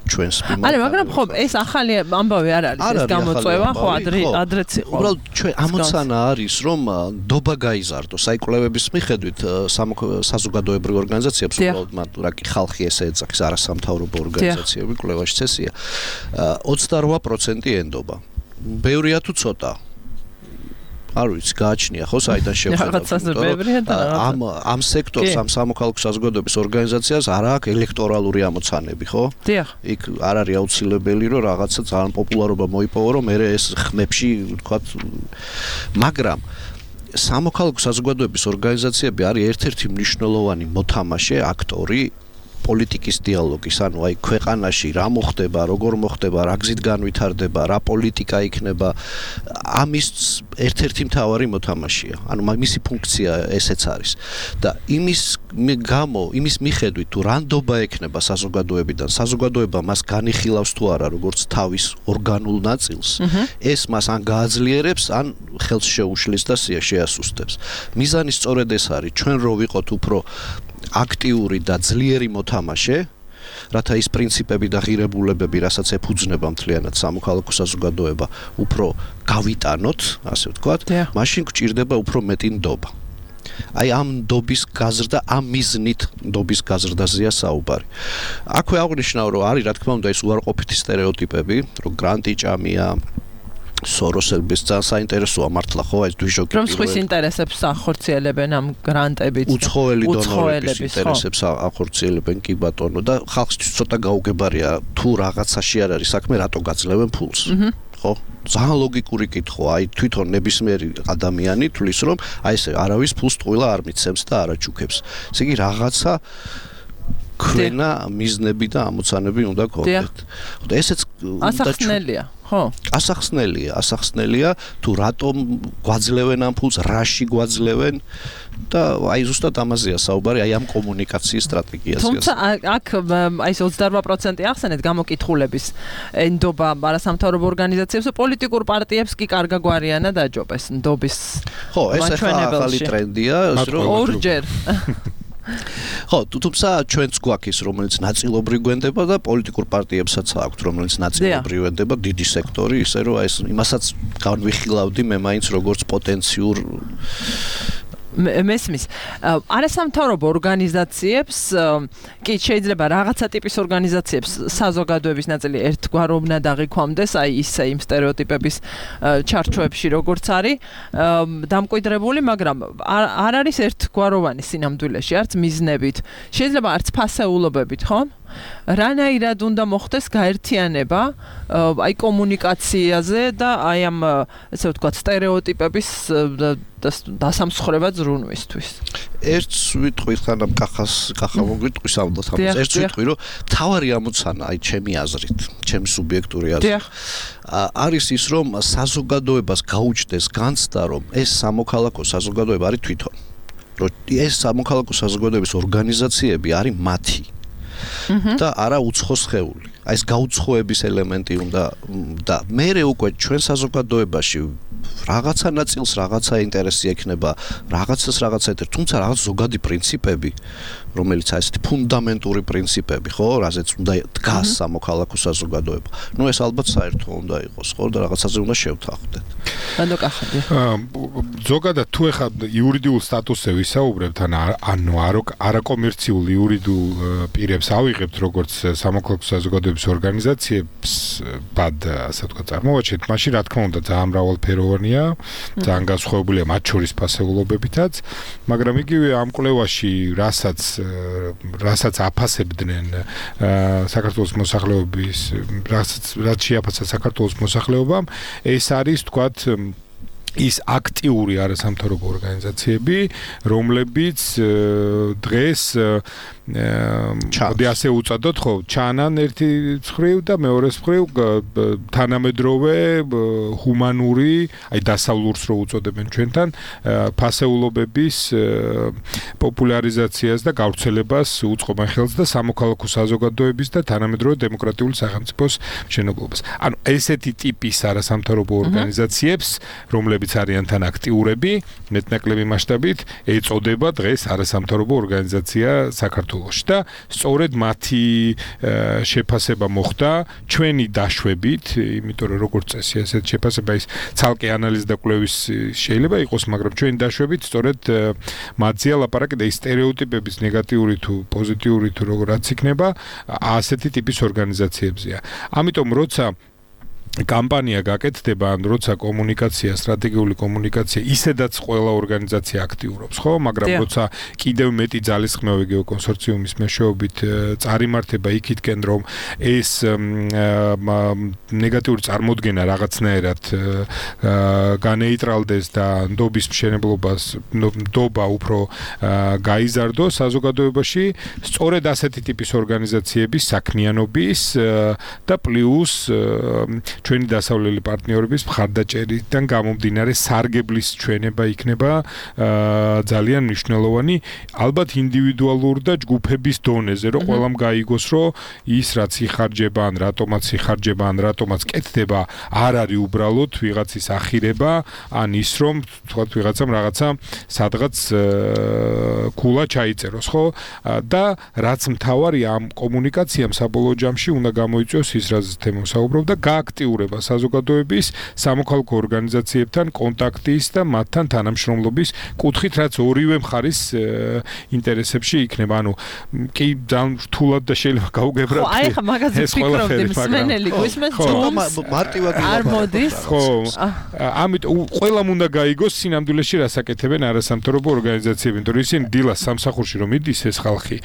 ჩვენს მიმართ. არა, მაგრამ ხო, ეს ახალი ამბავი არ არის, ეს გამოწვევა, ხო, ადრეც იყო. უბრალოდ ჩვენ ამოცანა არის, რომ ნდობა გაიზარდოს. აი კვლევების მიხედვით საზოგადოებრივ ორგანიზაციებს უბრალოდ მათ რა კი ხალხი ესე ეძახის არასამთავრობო ორგანიზაციები კვლევაში წესია. 28% ენდობა. ბევრია თუ ცოტა? არ ვიცი, გააჩნია ხო საიდან შევხედავთ. ამ სექტორს, ამ სამოქალაქო საზოგადოების ორგანიზაციას არ აქვს ელექტორალური ამოცანები, ხო? დიახ. იქ არ არის აუცილებელი, რომ რაღაცა ძალიან პოპულარობა მოიპოვო, რომ მე ეს ხმებში, ვთქვათ, მაგრამ სამოქალაქო საზოგადოების ორგანიზაციები არის ერთ-ერთი მნიშვნელოვანი მოთამაშე, აქტორი პოლიტიკის დიალოგის, ანუ აი ქვეყანაში რა მოხდება, როგორ მოხდება, რა გზით განვითარდება, რა პოლიტიკა იქნება, ამის ერთ-ერთი მთავარი მოთამაშეა. ანუ მისი ფუნქცია ესეც არის. და იმის მიხედვით თუ რანდობა ექნება საზოგადოებიდან, საზოგადოება მას განიხილავს თუ არა, როგორც თავის ორგანულ ნაწილს, ეს მას ან გააძლიერებს, ან ხელს შეუშლის და შეასუსტებს. მიზანი სწორედ ეს არის, ჩვენ რო ვიყოთ უფრო აქტიური და ძლიერი მოთამაშე, რათა ის პრინციპები და ღირებულებები, რასაც ეფუძნება მთლიანად სამოქალაქო საზოგადოება, უფრო გავიტანოთ, ასე ვთქვათ, მაშინ გვჭირდება უფრო მეტი ნდობა. აი ამ ნდობის გაზრდა, ამ მიზნით ნდობის გაზრდაზეა საუბარი. აქვე აღნიშნავ, რომ არის რა თქმა უნდა ეს უარყოფითი სტერეოტიპები, რომ გრანტი ჭამია, სოროსების ძალიან საინტერესოა მართლა ხო ეს დვიჟოკი რომ სხვის ინტერესებს ახორციელებენ ამ გრანტებით უცხოელი დონორების ინტერესებს ახორციელებენ კი ბატონო და ხალხისთვის ცოტა გაუგებარია თუ რაღაცაში არ არის საქმე რატო გაძლევენ ფულს ხო ძალიან ლოგიკური კითხვა აი თვითონ ნებისმიერი ადამიანი თulis რომ აი ესე არავის ფულს ტყუილა არ მიცემს და არ აჩუქებს ესე იგი რაღაცა ქვენა მიზნები და ამოცანები უნდა გქონდეთ და ესეც ასახსნელია ხო ასახსნელია თუ რატომ გვაძლევენ ამ ფულს რაში გვაძლევენ და აი ზუსტად ამაზეა საუბარი აი ამ კომუნიკაციის სტრატეგიაზე თუმცა აქ აი 28% ახსენეთ გამოკითხულების ნდობა არასამთავრობო ორგანიზაციებს და პოლიტიკურ პარტიებს კი კარგა გვარიანად აჯობეს ნდობის ხო ეს ახალი ტრენდია რომ ორჯერ ხო, თუმცა ჩვენც გვაქვს ის, რომელიც ნაწილობრივ გვენდება და პოლიტიკურ პარტიებსაც აქვთ, რომელიც ნაწილობრივ გვენდება დიდი სექტორი, ისე რომ ეს იმასაც განვიხილავდი მე მაინც როგორც პოტენციურ მესმის არასამთავრობო ორგანიზაციებს კი შეიძლება რაღაცა ტიპის ორგანიზაციებს საზოგადოების ნაწილი ერთგვაროვნად აღიქვამდეს აი ისე იმ სტერეოტიპების ჩარჩოებში როგორც არის დამკვიდრებული მაგრამ არ არის ერთგვაროვანი სინამდვილეში არც მიზნებით შეიძლება არც ფასეულობებით ხო რანაირად უნდა მოხდეს გაერთიანება აი კომუნიკაციაზე და აი ამ ესე ვთქვათ სტერეოტიპების დასამსხრება ზრუნვისთვის. ერთს ვიტყვი ხანამ კახა მოგვიტყვის ამბობს ერთს ვიტყვი რომ თავარი ამოცანა აი ჩემი აზრით, ჩემი სუბიექტური აზრით არის ის რომ საზოგადოებას გაუჩნდეს განცდა რომ ეს სამოქალაქო საზოგადოება არის თვითონ. რომ ეს სამოქალაქო საზოგადოების ორგანიზაციები არის მათი და არა უცხო სხეული. აი ეს გაუცხოების ელემენტი უნდა და მე უკვე ჩვენ საზოგადოებაში რაღაცა ნაწილს რაღაცა ინტერესი ექნება, რაღაცას რაღაცა ეტერ, თუმცა რაღაც ზოგადი პრინციპები, რომელიც აი ესეთი ფუნდამენტური პრინციპები, ხო, რაზეც უნდა დგას სამოქალაქო საზოგადოება. ნუ ეს ალბათ საერთო უნდა იყოს, ხო, და რაღაცაზე უნდა შევთანხმდეთ. ანუ კახები. ზოგადად თუ ეხლა იურიდიულ სტატუსზე ვისაუბრებთ, ანუ არაკომერციულ იურიდიულ პირებს ავიღებთ, როგორც სამოქალაქო საზოგადოების ორგანიზაციებს, ბად, ასე ვთქვათ, წარმოვაჩენთ, მაშინ რა თქმა უნდა ძალიან მრავალფეროვანია, ძალიან განსხვავებულია მათ შორის ფასეულობებითაც, მაგრამ იგივე ამ კვლევაში, რასაც აფასებდნენ საქართველოს მოსახლეობის, რაც შეაფასა საქართველოს მოსახლეობამ, ეს არის, ვთქვათ, ის აქტიური არასამთავრობო ორგანიზაციები, რომლებიც დღეს მოდი ასე უწოდოთ, ხო, ჩანან ერთი მხრივ და მეორე მხრივ თანამედროვე ჰუმანური, აი დასავლურს რო უწოდებენ ჩვენთან, ფასეულობების პოპულარიზაციას და გავრცელებას უწყობენ ხელს და სამოქალაქო საზოგადოების და თანამედროვე დემოკრატიული სახელმწიფოს მშენებლობას. ანუ ესეთი ტიპის არასამთავრობო ორგანიზაციებს, რომლებიც არიან თან აქტიურები, მეტნაკლები მასშტაბით ეწოდება დღეს არასამთავრობო ორგანიზაცია საქართველოში და სწორედ მათი შეფასება მოხდა ჩვენი დაშვებით, იმიტომ რომ როგორც წესი ესეთ შეფასება ის ცალკე ანალიზ და კვლევის შეიძლება იყოს, მაგრამ ჩვენი დაშვებით სწორედ მათზეა ლაპარაკი და ის სტერეოტიპების ნეგატიური თუ პოზიტიური თუ როგორაც იქნება, ასეთი ტიპის ორგანიზაციებზეა. ამიტომ როცა კამპანია გაკეთდება, ან როცა კომუნიკაცია, სტრატეგიული კომუნიკაცია, ისედაც ყველა ორგანიზაცია აქტიურობს, ხო? მაგრამ როცა კიდევ მეტი ძალისხმევა გეოკონსორციუმის მეშვეობით წარიმართება იქითკენ, რომ ეს ნეგატიური წარმოდგენა რაღაცნაირად განეიტრალდეს და ნდობის მშენებლობას, ნდობა უფრო გაიზარდოს საზოგადოებაში, სწორედ ასეთი ტიპის ორგანიზაციების საქმიანობის და პლუს ჩვენი დასავლელი პარტნიორების მხარდაჭერიდან გამომდინარე სარგებლის ჩვენება იქნება ძალიან მნიშვნელოვანი, ალბათ ინდივიდუალურ და ჯგუფების დონეზე, რომ ყველამ გაიგოს, რომ ის რაც იხარჯება, ან რატომაც იხარჯება, ან რატომაც კეთდება, არ არის უბრალოდ ვიღაცის ახირება, ან ის რომ თქვათ ვიღაცამ რაღაცა სადღაც ქულა ჩაიწეროს, ხო? და რაც მთავარი ამ კომუნიკაციამ საბოლოო ჯამში უნდა გამოიწვიოს ის რაც თემო საუბრობ და გააქტიუროს საზოგადოების სამოქალაქო ორგანიზაციებთან კონტაქტის და მათთან თანამშრომლობის კუთხით, რაც ორივე მხარის ინტერესებში იქნება. ანუ კი ძალიან რთულად და შეიძლება გაუგებრად. ხო, აი ხა მაგაზე ვფიქრობდი, მსმენელი გვისმენთ მარტივად არ მოდის. ხო, ამიტომ ყველამ უნდა გაიგოს სინამდვილეში რას აკეთებენ არასამთავრობო ორგანიზაციები, იმიტომ რომ ისინი დილას სამსახურში რომ იდის ეს ხალხი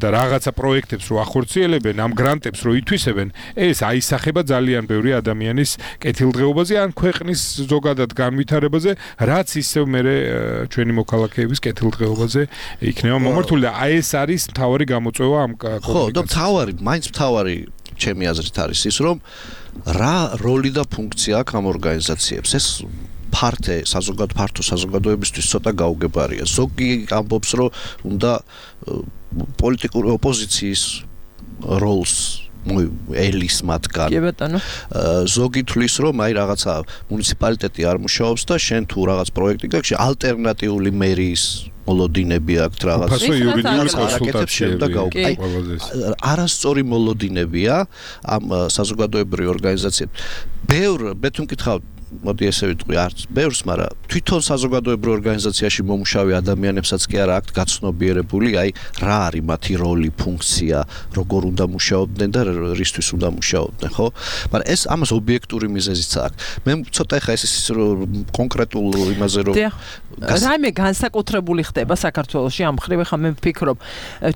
და რაღაცა პროექტებს რო ახორციელებენ, ამ გრანტებს რო ითვისებენ, ეს აისახება ძალიან ბევრი ადამიანის კეთილდღეობაზე ან ქვეყნის ზოგადად განვითარებაზე, რაც ისევ მერე ჩვენი მოქალაქეების კეთილდღეობაზე იქნება მომართული და აი ეს არის მთავარი გამოწვევა ამ კომუნიკაციას. ხო, და მაინც მთავარი ჩემი აზრით არის ის, რომ რა როლი და ფუნქცია აქვს ამ ორგანიზაციებს. ეს ფართო საზოგადოებისთვის ცოტა გაუგებარია. ზოგი ამბობს, რომ უნდა პოლიტიკური ოპოზიციის როლს ელის მათგან. კი ბატონო. ზოგი თვლის, რომ აი რაღაცა მუნიციპალიტეტი არ მუშაობს და შენ თუ რაღაც პროექტი გაქვს, ალტერნატიული მერიის მოლოდინები აქვს რაღაც. ფასო იურიდიული კონსულტაციები. აი არასწორი მოლოდინებია ამ საზოგადოებრივი ორგანიზაციები. მე თუ მკითხავ მოდი ესე ვიტყვი, არც ბევრს, მაგრამ თვითონ საზოგადოებრივ ორგანიზაციაში მომუშავე ადამიანებსაც კი არა აქვთ გაცნობიერებული, აი რა არის მათი როლი, ფუნქცია, როგორ უნდა მუშაობდნენ და რისთვის უნდა მუშაობდნენ, ხო? მაგრამ ეს ამას ობიექტური მიზეზიც აქვს. მე ცოტა ხა ეს კონკრეტულ იმაზე რომ რაიმე განსაკუთრებული ხდება საქართველოში ამ ხრივ ხა მე ვფიქრობ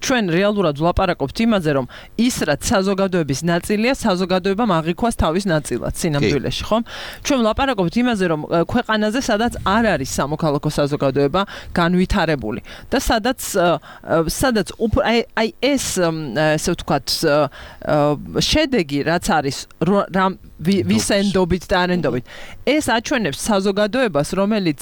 ჩვენ რეალურად ვლაპარაკობთ იმაზე რომ ის რაც საზოგადოების ნაწილია საზოგადოებამ აღიქواس თავის ნაწილად სინამდვილეში ხომ ჩვენ ვლაპარაკობთ იმაზე რომ ქვეყანაზე სადაც არ არის სამოქალაქო საზოგადოება განვითარებული და სადაც აი ეს ესე ვთქვათ შედეგი რაც არის ვისენდობით და არენდობით ეს აჩვენებს საზოგადოებას რომელიც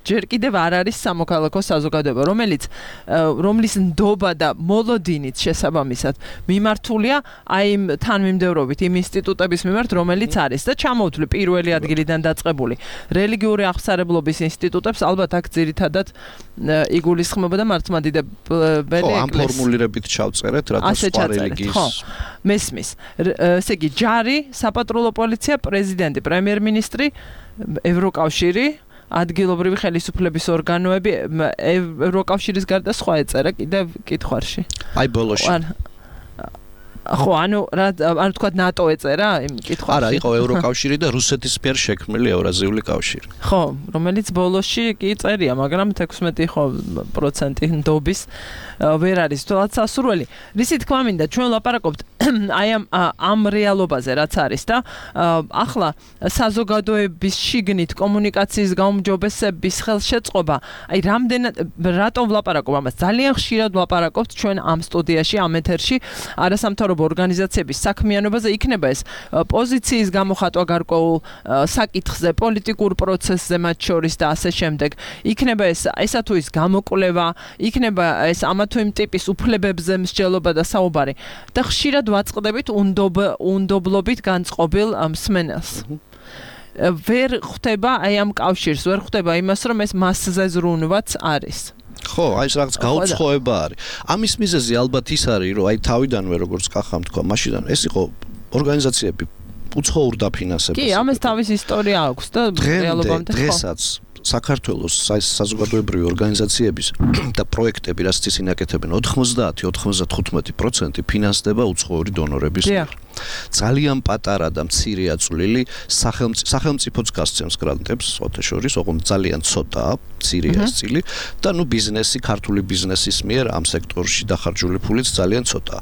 ჯერ კიდევ არ არის სამოქალაქო საზოგადოება რომლის ნდობა და მოლოდინით შესაბამისად მიმართულია აი იმ თანმიმდევრობით იმ ინსტიტუტების მიმართ რომელიც არის და ჩამოვთვლი პირველი ადგილიდან დაწყებული რელიგიური აღსარებლობის ინსტიტუტებს ალბათ აქ ძირითადად იგულისხმება და მართლმადიდებელი ეკლესია. ხო, ამ ფორმულირებით ჩავწერეთ, რათა სხვა რელიგიის მესმის. ესე იგი, ჯარი, საპატრულო პოლიცია, პრეზიდენტი, პრემიერ-მინისტრი, ევროკავშირი, ადგილობრივი ხელისუფლების ორგანოები, ევროკავშირის გარდა სხვა ეწერა კიდევ კითხვარში. აი ბოლოში. ხო, ანუ თქვა ნატო ეწერა იმ კითხვაში. არა, იყო ევროკავშირი და რუსეთის მიერ შექმნილი ევრაზიული კავშირი. ხო, რომელიც ბოლოში კი წერია, მაგრამ 16% ნდობის ვერ არის თვალთ სასურველი. რისი თქმა მინდა, ჩვენ ვლაპარაკობთ აი ამ რეალობაზე, რაც არის და ახლა საზოგადოების შიგნით კომუნიკაციის გაუმჯობესების ხელშეწყობა, აი რატომ ვლაპარაკობ ამას? ძალიან ხშირად ვლაპარაკობთ ჩვენ ამ სტუდიაში, ამ ეთერში, არასამთავრობო ორგანიზაციების საქმიანობაზე იქნება ეს პოზიციის გამოხატვა გარკვეულ საკითხზე, პოლიტიკურ პროცესზე მათ შორის და ასე შემდეგ. იქნება ესა თუ ის გამოკვლევა, იქნება ეს ამა თუ იმ ტიპის უფლებებზე მსჯელობა და საუბარი. და ხშირად ვაწყდებით უნდობლობით განწყობილ მსმენელს. ვერ ხვდება აი ამ კავშირს, ვერ ხვდება იმას, რომ ეს მასზე ზრუნვაც არის. ხო, აი ეს რაღაც გაუცხოება არის. ამის მიზეზი ალბათ ის არის, რომ აი თავიდანვე როგორც კახამ თქვა, მაშინდან ეს იყო ორგანიზაციები უცხოურ დაფინანსებას. კი, ამას თავის ისტორია აქვს და რეალობამდე ხო. დღესაც საქართველოს საზოგადოებრივი ორგანიზაციების და პროექტები, რაც ისინი აკეთებენ, 90-95% ფინანსდება უცხოური დონორების მიერ. ძალიან პატარა და მცირეა წვლილი სახელმწიფოც გასცემს გრანტებს, სხვათა შორის, ოღონდ ძალიან ცოტაა, მცირეა წილი და ბიზნესი, ქართული ბიზნესის მიერ ამ სექტორში დახარჯული ფულიც ძალიან ცოტაა.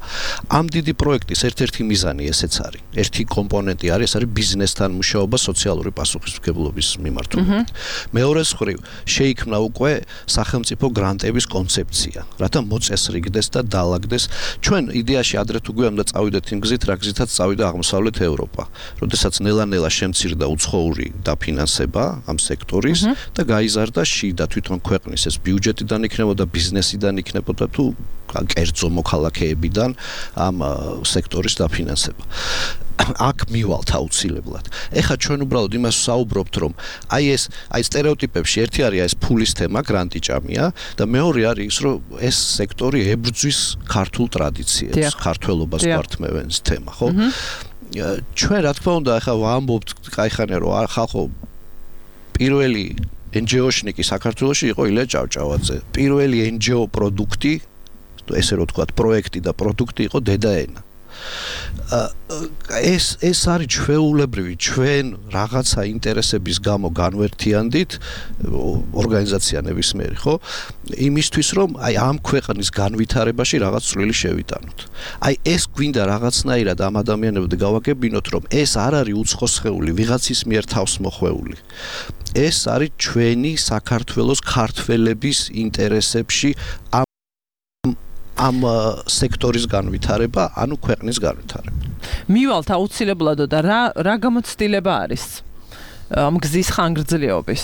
ამ დიდი პროექტის ერთ-ერთი მიზანი ესეც არის. ერთი კომპონენტი არის, ეს არის ბიზნესთან მუშაობა სოციალური პასუხისმგებლობის მიმართულებით. მეორე მხრივ, შეიქმნა უკვე სახელმწიფო გრანტების კონცეფცია, რათა მოწესრიგდეს და დაალაგდეს. ჩვენ იდეაში ადრე თუ გვიამდა წავიდეთ იმ გზით, რა გზითაც წავიდა აღმოსავლეთ ევროპა, როდესაც ნელა-ნელა შემცირდა უცხოური დაფინანსება ამ სექტორის და გაიზარდა შიდა თვითონ ქვეყნის ეს ბიუჯეტიდან იქნებოდა, ბიზნესიდან იქნებოდა თუ კერძო მოქალაქეებიდან ამ სექტორის დაფინანსება. აქ მივალთ აუცილებლად. ეხლა ჩვენ უბრალოდ იმას ვსაუბრობთ, რომ აი სტერეოტიპებში ერთი არის ეს ფულის თემა, გრანტიჭამია და მეორე არის ის, რომ ეს სექტორი ებრძვის ქართულ ტრადიციებს, ქართველობას გვართმევენს თემა, ხო? ჩვენ რა თქმა უნდა ეხლა ვამბობთ კაიხანე რომ ხალხო პირველი NGO-შნიკი საქართველოში იყო ილია ჭავჭავაძე. პირველი NGO პროდუქტი, ესე რომ ვთქვათ, პროექტი და პროდუქტი იყო დედაენა. ეს არის ჩვეულებრივი, ჩვენ რაღაცა ინტერესების გამო განვერთიანდით ორგანიზაცია ნებისმიერი, ხო? იმისთვის რომ აი ამ ქვეყნის განვითარებაში რაღაც წვლილი შევიტანოთ. აი ეს გვინდა რაღაცნაირად ამ ადამიანებთან გავაგებინოთ, რომ ეს არ არის უცხოსხეული, ვიღაცის მიერ თავს მოხვეული. ეს არის ჩვენი საქართველოს ქართველების ინტერესებში ამ სექტორის განვითარება, ანუ ქვეყნის განვითარება. მივალთ აუცილებლად და რა გამოცდილება არის ამ გზის ხანგრძლივობის?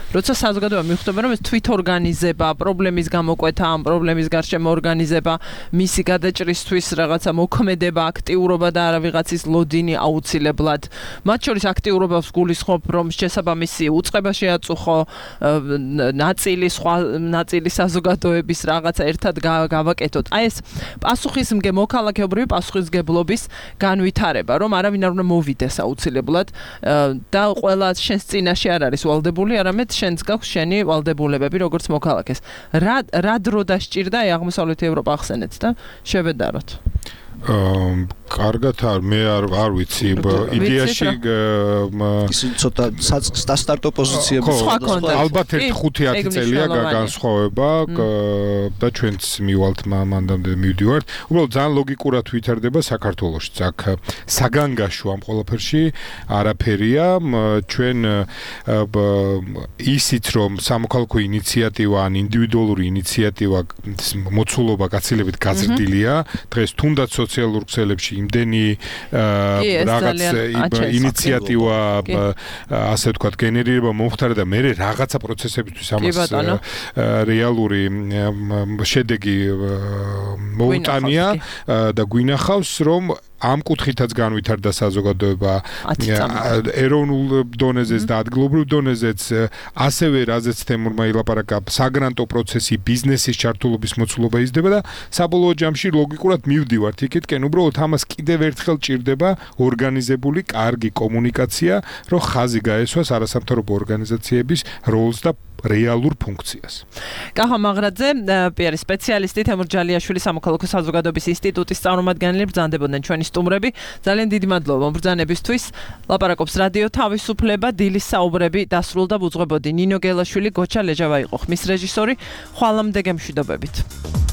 როცა საზოგადოება მიხვდება, რომ ეს თვითორგანიზება, პრობლემის გამოკვეთა, ამ პრობლემის გარშემო ორგანიზება, მისი გადაჭრისთვის რაღაცა მოქმედება, აქტიურობა და არა ვიღაცის ლოდინი აუცილებლად. მათ შორის აქტიურობას გულისხმობ, რომ შესაბამისი უწყება შეაწუხო, ნაწილი საზოგადოების რაღაცა ერთად გავაკეთოთ. აი ეს პასუხისმგე მოქალაქეობრივი პასუხისმგებლობის განვითარება, რომ არავინ არ უნდა მოვიდეს აუცილებლად და ყველა შენს წინაშე არ არის ვალდებული, არამედ შენს გაქვს შენი ვალდებულებები როგორც მოქალაქეს. რა დრო დასჭირდა აი აღმოსავლეთი ევროპა ახსენეთ და შევედაროთ. კარგად მე არ ვიცი იდეაში ისინი ცოტა სტარტო პოზიციები ალბათ 5-10 წელია განსხვავება და ჩვენც მივალთ მანდამდე მივდივართ უბრალოდ ძალიან ლოგიკურად ვითარდება საქართველოში აქ საგანგაშო ამ ყველაფერში არაფერია ჩვენ ისიც რომ სამოქალაქო ინიციატივა ან ინდივიდუალური ინიციატივა მოცულობა გაცილებით გაზრდილია დღეს თუნდაც სოციალურ ქსელებში იმდენი რაღაც ინიციატივა ასე ვთქვათ გენერირება მომხდარა და მე რაღაცა პროცესებისთვის ამას რეალური შედეგი მოუტანია და გვინახავს რომ ამ კუთხითაც განვითარდა საზოგადოება ეროვნულ დონეზეც და ადგილობრივ დონეზეც ასევე რაზეც თემურმა ილაპარაკა საგრანტო პროცესი ბიზნესის ჩართულობის მოცულობა იზრდება და საბოლოო ჯამში ლოგიკურად მივდივართ იქითკენ უბრალოდ ამას კიდევ ერთხელ ჭირდება ორგანიზებული კარგი კომუნიკაცია რომ ხაზი გაესვას არასამთავრობო ორგანიზაციების როლს და რეალურ ფუნქციას. კახა მაღრაძე, პიარის სპეციალისტი თემურ ჯალიაშვილი სამოქალაქო საზოგადოების ინსტიტუტის წარმომადგენელი ბრძანდებოდნენ ჩვენი სტუმრები. ძალიან დიდი მადლობა ბრძანებისთვის. ლაპარაკობს რადიო თავისუფლება, დილის საუბრები დასრულდა უძღვებოდი ნინო გელაშვილი, გოჩა ლეჟავა იყო ხმის რეჟისორი. ხვალამდე გემშვიდობებით.